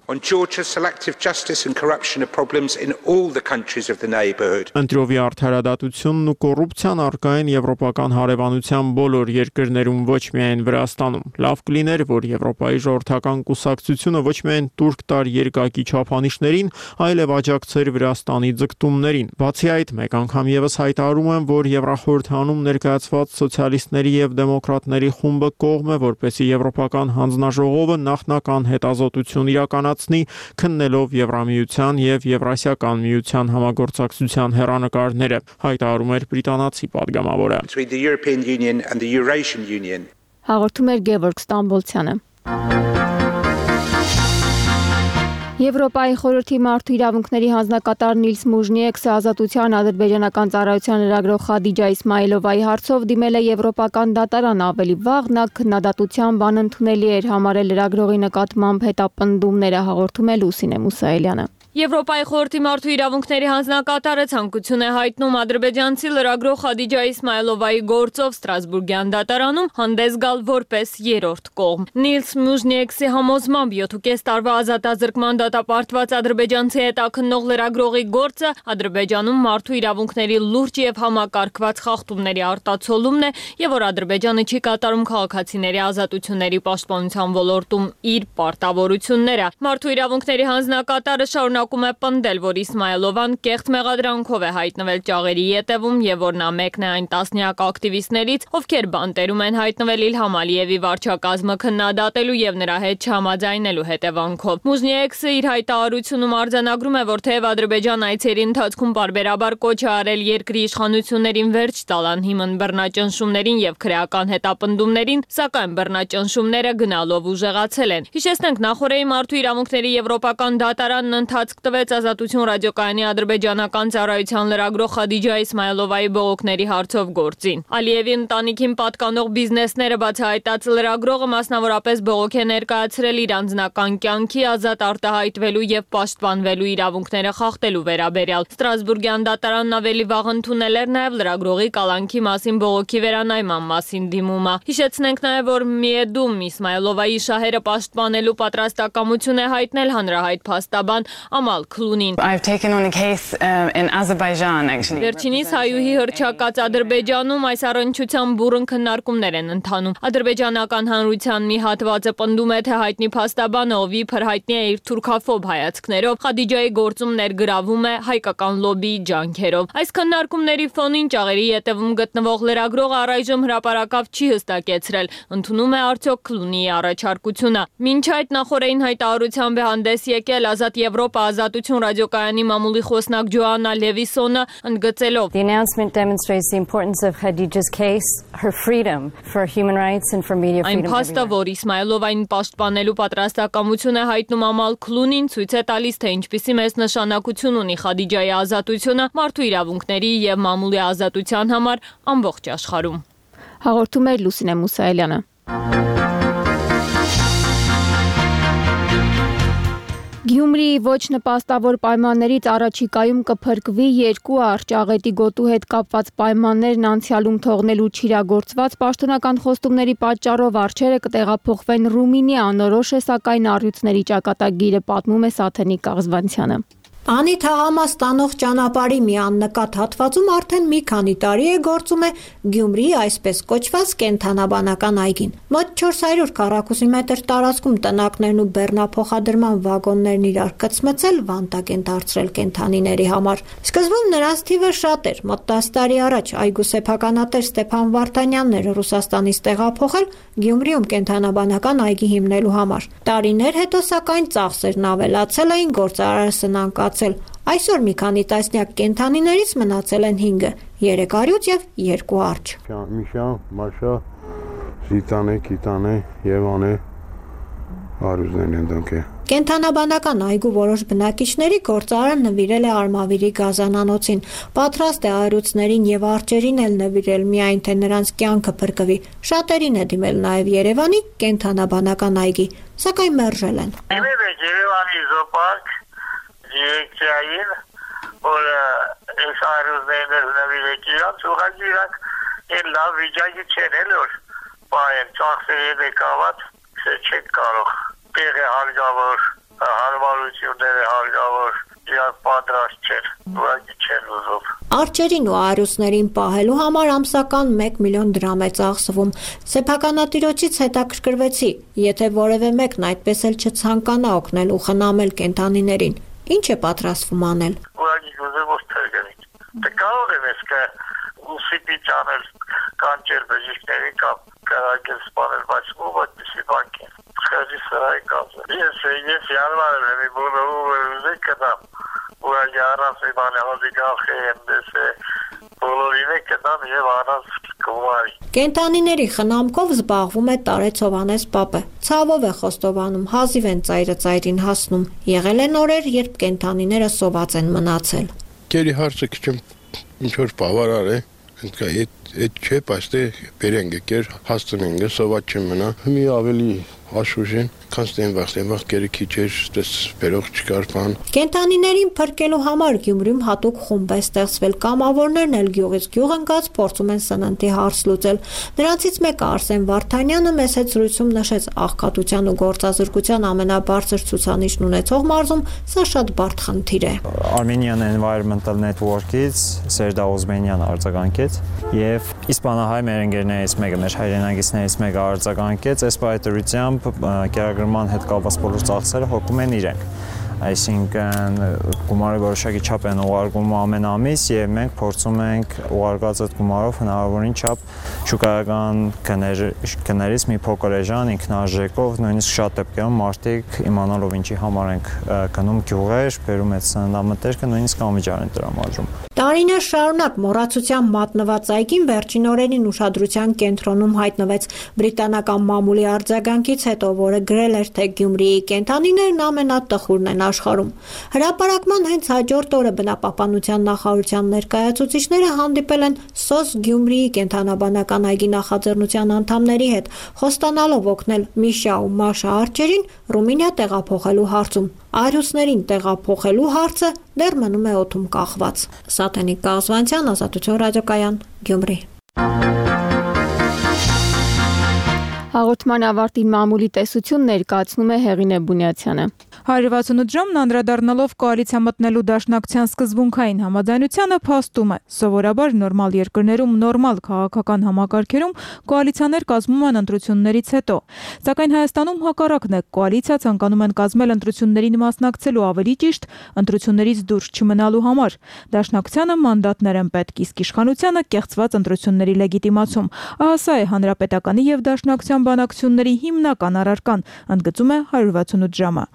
Ընտրովի արդարադատությունն ու կոռուպցիան առկա են եվրոպական հարևանության բոլոր երկրներում, ոչ միայն Վրաստանում։ Լավ կլիներ, որ Եվրոպայի ժողովրդական կուսակցությունը ոչ միայն տուրք տար երկակի չափանիշներին, այլև աջակցեր Վրաստանի ձգտումներին։ Բացի այդ, մեկ անգամ եւս հայտարարում հայտարարում են, որ Եվրախորհրդանում ներկայացված սոցիալիստների եւ դեմոկրատների խումբը կողմ է, որպեսզի Եվրոպական հանձնաժողովը նախնական հետազոտություն իրականացնի, քննելով Եվրամիության եւ Եվրասիական միության համագործակցության հեռանկարները, հայտարարում էր բրիտանացի падգամավորը։ Հաղորդում էր Գևորգ Ստամբոլցյանը։ Եվրոպայի խորհրդի մարդու իրավունքների հանձնակատար Նիլս Մուժնիեքսը ազատության ադրբեջանական ծառայության լրագրող Խադիջա Իսմայիլովայի հարցով դիմել է Եվրոպական դատարան, ավելի վաղ նա քննադատությամբ անընդունելի էր համարել լրագրողի նկատմամբ հետապնդումները, հաղորդում է Լուսինե Մուսայելյանը։ Եվրոպայի խորհրդի մարդու իրավունքների հանձնակատարը ցանկություն է հայտնում ադրբեջանցի լրագրող Խադիջա Իսմայիլովայի գործով Ստրասբուրգյան դատարանում հանդես գալ որպես երրորդ կողմ։ Նիլս Մուժնիեքսի համոզմամբ յոթ ու կես տարվա ազատազրկման դատապարտված ադրբեջանցի հետաքննող լրագրողի գործը Ադրբեջանում մարդու իրավունքների լուրջ եւ համակարգված խախտումների արտացոլումն է եւ որ Ադրբեջանը չի կատարում քաղաքացիների ազատությունների պաշտպանության ոլորտում իր պարտավորությունները։ Մարդու իրավունքների հանձնակատարը շարունակ Ակում է պնդել, որ Իսմայիլովան կեղծ մեղադրանքով է հայտնվել ճաղերի ետևում եւ որ նա մեկն է այն տասնյակ ակտիվիստներից, ովքեր բանտերում են հայտնվել Իլհամ Ալիևի վարչակազմը քննադատելու եւ նրա հետ չհամաձայնելու հետևանքով։ Մուզնիեքսը իր հայտարարությունում արձանագրում է, որ թեև Ադրբեջան այցերի ընթացքում բարբերաբար կոչ է արել երկրի իշխանություններին վերջ տալ անհիմն բռնաճնշումներին եւ քրեական հետապնդումներին, սակայն բռնաճնշումները գնալով ուժեղացել են։ Հիշեցնենք, նախորդի մարդու իրավունքների եվրոպական դատարանն ընթաց տվեց Ազատություն ռադիոկայանի ադրբեջանական ծառայության լրագրող Խադիջա Իսմայիլովայի բողոքների հարցով գործին։ Ալիևի ընտանիքին պատկանող բիզնեսները բացահայտած լրագրողը մասնավորապես բողոք է ներկայացրել իր անձնական կյանքի ազատ արտահայտվելու եւ պաշտպանվելու իրավունքները խախտելու վերաբերյալ։ Ստրասբուրգյան դատարանն ավելի վաղ ընդունել էր նաեւ լրագրողի կալանքի մասին բողոքի վերանայման մասին դիմումը։ Հիշեցնենք նաեւ, որ Միեդում Իսմայիլովայի շահերը պաշտպանելու պատրաստակամություն է հայտնել հանրահայտ փաստաբան Amal Քլունին։ Վերջինիս հայուհի հռչակած Ադրբեջանում այս առնչությամբ բուռն քննարկումներ են ընթանում։ Ադրբեջանական հանրության մի հատվածը պնդում է, թե հայտնի փաստաբանը, ով իբր հայտնի է իր թուրքաֆոբ հայացքներով, Խադիջայի գործում ներգրավում է հայկական լոբիի ջանքերով։ Այս քննարկումների ֆոնին ճաղերի ետևում գտնվող լրագրողը առայժմ հրապարակավ չի հստակեցրել, ընդունում է արդյոք Քլունիի առաջարկությունը։ Մինչ այդ նախորդին հայտարարությամբ է հանդես եկել Ազատ Եվրոպա Ազատություն ռադիոկայանի մամուլի խոսնակ Ջոաննա Լևիսոնը, ընդգծելով. Այն փաստը, որ Իսմայիլովային պաշտպանելու պատրաստակամություն է հայտնում Ամալ Քլունին, ցույց է տալիս, թե ինչպիսի մեծ նշանակություն ունի Խադիջայի ազատությունը մարդու իրավունքների եւ մամուլի ազատության համար ամբողջ աշխարհում։ Հաղորդում է Լուսինե Մուսայելյանը։ Գյումրիի ոչ նպաստավոր պայմաններից առաջիկայում կփրկվի երկու արճաղետի գոտու հետ կապված պայմաններն անցյալում թողնելու չիրագործված պաշտոնական խոստումների պատճառով արչերը կտեղափոխվեն Ռումինիա, անորոշ է սակայն առյուծների ճակատագիրը, պատմում է Սաթենիկ Աղզվանցյանը։ Անի թաղամաս ստանող ճանապարհի մի աննկատ հատվածում արդեն մի քանի տարի է գործում է Գյումրիի այսպես կոչված կենդանաբանական այգին։ Մոտ չորս հարյուր քառակուսի մետր տարածքում տնակներն ու բեռնափոխադրման վագոններն իրար կծմծել վանտակ են դարձրել կենդանիների համար։ Սկզբում նրանց թիվը շատ էր։ Մոտ տասը տարի առաջ այգու սեփականատեր Ստեփան Վարդանյանն էր Ռուսաստանից տեղափոխել Գյումրիում կենդանաբանական այգի հիմնելու համար։ Տարիներ հետո սակայն ծախսերն ավելացել էին, գործարարը սնանկացել։ Այսօր մի քանի տասնյակ կենդանիներից մնացել են հինգը՝ երեք առյուծ եւ երկու արջ։ Միշա, Մաշա, Զիտանե, Կիտանե եւ Անե առյուծներն են դրանք։ Կենդանաբանական այգու որոշ բնակիչների գործարարը նվիրել է Արմավիրի գազանանոցին, պատրաստ է առյուծներին եւ արջերին էլ նվիրել, միայն թե նրանց կյանքը փրկվի։ Շատերին է դիմել նաեւ Երևանի կենդանաբանական այգի, սակայն մերժել են։ Երևանի զոոպարկ դիրեկցիային, որ այս առյուծներն նվիրեք իրանց, ուղղակի իրանք այն լավ վիճակի չեն էլ որ պահեն, ծախսերի դեկաված չեք կարող։ Տեղը հարգավոր, հարմարությունները հարգավոր, իրանք պատրաստ չեն, ուղղակի չեն ուզում։ Արջերին ու առյուծներին պահելու համար ամսական մեկ միլիոն դրամ է ծախսվում։ Սեփականատիրոջից հետաքրքրվեցի, եթե որևէ մեկն այդպես էլ չցանկանա օգնել ու խնամել կենդանիներին, ինչ է պատրաստվում անել։ Ուղղակի ուզում որ թերգնի։ Դե կարող եմ ես կը սիպիչ անել կանչել բժիշկների կամ կարակել սպանել, բայց ով այդպիսի բանք է։ Խեղճի սրահի կազմել։ Ես ես յալմարել եմ, բոլորը ուզեք կտամ, ու առանց իմանալ հոդիգախ եմ դեսե, բոլորին է կտամ և առանց կուարի։ Կենտանիների խնամքով զբաղվում է Տարեց Հովհաննես պապը։ Ցավով է խոստովանում, հազիվ են ծայրը ծայրին հասնում։ Եղել են օրեր, երբ կենտանիները սոված են մնացել։ Գերի հարցը քիչ ինչ որ բավարար է, այդ չէ, բայց բերենք եկեր, հասցնենք, սոված չմնա։ Մի ավելի աշխուժեն, քանստեն վախտեն վախտ գերի քիչ էր, դες բերող չկար բան։ Կենտանիներին փրկելու համար Գյումրիում հատուկ խումբ է ստեղծվել, կամավորներն էլ գյուղից գյուղ ընկած փորձում են սննդի հարց լուծել։ Նրանցից մեկը Արսեն Վարդանյանը մեծ հետ զրույցում նշեց աղքատության ու գործազրկության ամենաբարձր ցուցանիշն ունեցող մարզում սա շատ բարդ խնդիր է։ Armenian Environmental Network-ից Սերդա Օզմենյան արձագանքեց եւ իսպանահայ մեր ընկերներից մեկը, մեր հայրենագիցներից մեկը արձագանքեց, այս պայթորությամբ կերակրման հետ կապված բոլոր ծախսերը հոգում են իրենք։ Այսինքն գումարը որոշակի չափ են ուղարկում ամեն ամիս եւ մենք փորձում ենք ուղարկած այդ գումարով հնարավորին չափ շուկայական գներից մի փոքր էժան ինքնարժեքով նույնիսկ շատ դեպքերում մարդիկ իմանալով ինչի համար ենք գնում գյուղեր, բերում այդ սննդամթերքը նույնիսկ անվճար են տրամադրում։ Տարիներ շարունակ մոռացության մատնված այգին վերջին օրերին ուշադրության կենտրոնում հայտնվեց բրիտանական մամուլի արձագանքից հետո, որը գրել էր, թե Գյումրիի կենդանիներն ամենատխուրն են աշխարհում։ Հրապարակման հենց հաջորդ օրը բնապահպանության նախարարության ներկայացուցիչները հանդիպել են Սոս Գյումրիի կենդանաբանական այգի նախաձեռնության անդամների հետ, խոստանալով օգնել Միշա ու Մաշա արջերին Ռումինիա տեղափոխելու հարցում։ Արյուսներին տեղափոխելու հարցը դեռ մնում է օդում կախված։ Սաթենիկ Կազվանցյան, Ազատություն ռադիոկայան, Գյումրի։ Հաղորդման ավարտին մամուլի տեսություն ներկայացնում է Հեղինե Բունյացյանը։ հարյուր վաթսունութ ժամն անդրադառնալով կոալիցիա մտնելու դաշնակցության սկզբունքային համաձայնությանը փաստում է, սովորաբար նորմալ երկրներում նորմալ քաղաքական համակարգերում կոալիցիաներ կազմում են ընտրություններից հետո։ Սակայն Հայաստանում հակառակն է, կոալիցիա ցանկանում են կազմել ընտրություններին մասնակցելու, ավելի ճիշտ, ընտրություններից դուրս չմնալու համար։ Դաշնակցությանը մանդատներ են պետք, իսկ իշխանությանը կեղծված ընտրությունների լեգիտիմացում։ Ահա սա է հանրապետականի եւ դաշնակցության բանակցությունների հիմնական առարկան, ընդգծում է հարյուր վաթսունութ ժամը։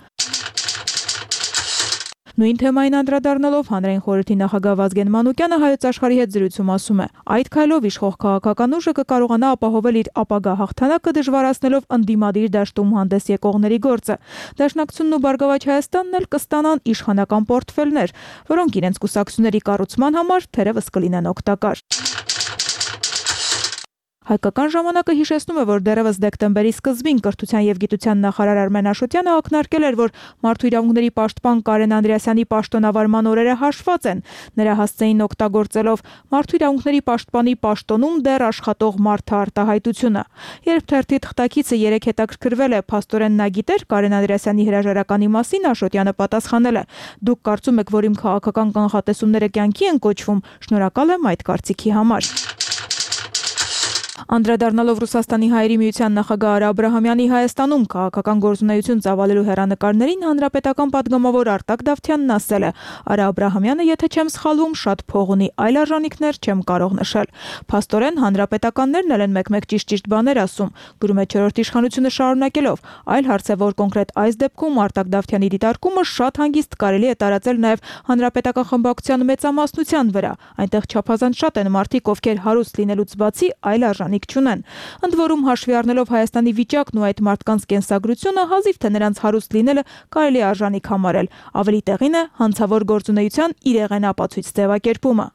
Նույն թեմային անդրադառնալով հանրային խորհրդի նախագահ Վազգեն Մանուկյանը Հայոց աշխարհի հետ զրույցում ասում է. այդ քայլով իշխող քաղաքական ուժը կկարողանա ապահովել իր ապագա հաղթանակը դժվարացնելով ընդդիմադիր դաշտում հանդես եկողների գործը։ Դաշնակցությունն ու Բարգավաճ Հայաստանն էլ կստանան իշխանական պորտֆելներ, որոնք իրենց կուսակցությունների կառուցման համար թերևս կլինեն օգտակար։ Հայկական ժամանակը հիշեցնում է, որ դեռևս դեկտեմբերի սկզբին կրթության եւ գիտության նախարար Արմեն Աշոտյանը ակնարկել էր, որ մարդու իրավունքների պաշտպան Կարեն Անդրեասյանի պաշտոնավարման օրերը հաշված են։ Նրա հասցեին օգտագործելով մարդու իրավունքների պաշտպանի պաշտոնում դեռ աշխատող մարդահարտահայտությունը։ Երբ թերթի թղթակիցը երեք հետաքրքրվել է, փաստորեն նա գիտեր Կարեն Անդրեասյանի հրաժարականի մասին, Աշոտյանը պատասխանել է. դուք կարծում եք, որ իմ քաղաքական կանխատեսումները կյանքի են կոչվում, շնորհակալ եմ այդ կարծիքի համար։ Անդրադառնալով Ռուսաստանի հայերի միության նախագահ Արա Աբրահամյանի Հայաստանում քաղաքական գործունեություն ծավալելու հեռանկարներին հանրապետական падգամավոր Արտակ Դավթյանն ասել է. Արա Աբրահամյանը, եթե չեմ սխալվում, շատ փող ունի, այլ արժանինքներ չեմ կարող նշել։ Փաստորեն հանրապետականներն էլ են մեկ-մեկ ճիշտ-ճիշտ բաներ ասում, գրում է չորրորդ իշխանությունը շարունակելով։ Այլ հարց է, որ կոնկրետ այս դեպքում Արտակ Դավթյանի դիտարկումը շատ հանգիստ կարելի է տարածել նաև հանրապետական խմբակցության մեծամասնության վրա։ Այնտեղ չափազանց շատ են մարդիկ, ովքեր հարուստ լինելուց բացի այլ արժանինք չունեն։ Ընդ որում հաշվի առնելով Հայաստանի վիճակն ու այդ մարդկանց կենսագրությունը, հազիվ թե նրանց հարուստ լինելը կարելի է արժանիք համարել։ Ավելի տեղին է հանցավոր գործունեության իրեղեն ապացույց ձևակերպումը։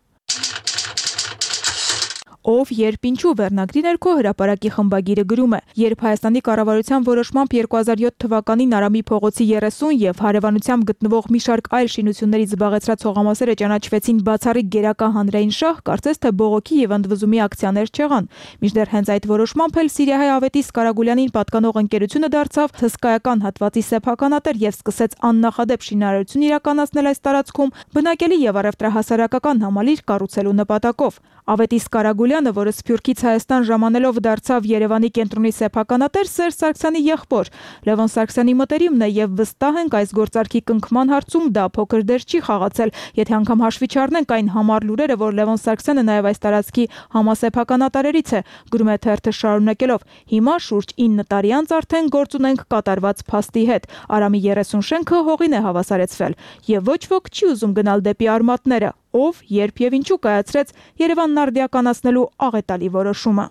Ով, երբ, ինչու վերնագրի ներքո հրապարակի խմբագիրը գրում է. երբ Հայաստանի կառավարության որոշմամբ երկու հազար յոթ թվականին Արամի փողոցի երեսուն եւ հարևանությամբ գտնվող մի շարք այլ շինություններից զբաղեցրած հողամասերը ճանաչվեցին բացառիկ գերակա հանրային շահ, կարծես թե բողոքի եւ ընդվզումի ակցիաներ չեղան։ Մինչդեռ հենց այդ որոշմամբ էլ Սիրիահայ Ավետիս Կարագուլյանին պատկանող ընկերությունը դարձավ հսկայական հատվածի սեփականատեր եւ սկսեց աննախադեպ շինարարություն իրականացնել այս տարածքում, բնակելի եւ առևտրահասարակական համալիր կառուցելու նպատակով։ Ավետիս Կարագուլյանը Սարսուլյանը, որը Սփյուռքից Հայաստան ժամանելով դարձավ Երևանի կենտրոնի սեփականատեր, Սերժ Սարգսյանի եղբոր։ Լևոն Սարգսյանի մտերիմն է եւ վստահ ենք այս գործարքի կնքման հարցում դա փոքր դեր չի խաղացել, եթե անգամ հաշվի չառնենք այն համառ լուրերը, որ Լևոն Սարգսյանը նաեւ այս տարածքի համասեփականատարերից է, գրում է թերթը շարունակելով. Հիմա շուրջ ինը տարի անց արդեն գործ ունենք կատարված փաստի հետ։ Արամի երեսուն շենքը հողին է հավասարեցվել եւ ոչ ոք չի ուզում գնալ դեպի արմատները, ով, երբ եւ ինչու կայացրեց Երևանն արդիականացնելու աղետալի որոշումը։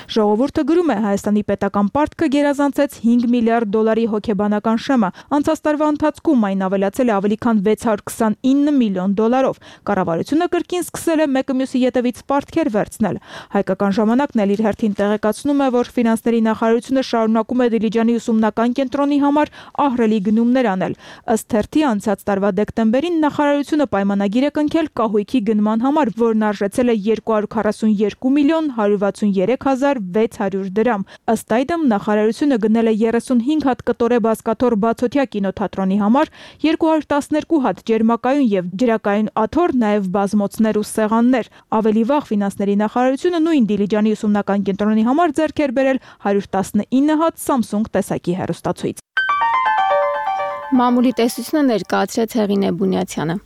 Ժողովուրդը գրում է Հայաստանի պետական պարտքը գերազանցեց հինգ միլիարդ դոլարի հոգեբանական շեմը, անցած տարվա ընթացքում այն ավելացել է ավելի քան վեց հարյուր քսանինը միլիոն դոլարով։ Կառավարությունը կրկին սկսել է մեկը մյուսի ետևից պարտքեր վերցնել։ Հայկական ժամանակն էլ իր հերթին տեղեկացնում է, որ ֆինանսների նախարարությունը շարունակում է Դիլիջանի ուսումնական կենտրոնի համար ահռելի գնումներ անել։ Ըստ թերթի անցած տարվա դեկտեմբերին նախարարությունը պայմանագիր է կնքել կահույքի գնման համար, որն արժեցել է երկու հարյուր քառասունյերկու միլիոն հարյուր վաթսունյերեք հազար վեց հարյուր դրամ։ Ըստ այդմ նախարարությունը գնել է երեսունհինգ հատ կտորե բազկաթոռ բացօթյա կինոթատրոնի համար, երկու հարյուր տասներկու հատ ջերմակայուն եւ ջրակայուն աթոռ, նաեւ բազմոցներ ու սեղաններ։ Ավելի վաղ ֆինանսների նախարարությունը նույն Դիլիջանի ուսումնական կենտրոնի համար ձեռք էր բերել հարյուր տասնինը հատ Samsung տեսակի հեռուստացույց։ Մամուլի տեսությունը ներկայացրեց Հեղինե Բունյացյանը։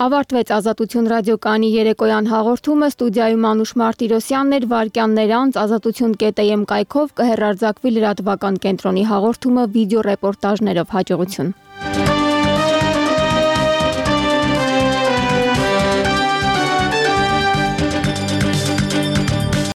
Ավարտվեց Ազատություն ռադիոկայանի երեկոյան հաղորդումը, ստուդիայում Անուշ Մարտիրոսյանն էր, վայրկյաններ անց ազատություն կետ եմ կայքով կհեռարձակվի լրատվական կենտրոնի հաղորդումը վիդեո ռեպորտաժներով։ Հաջողություն։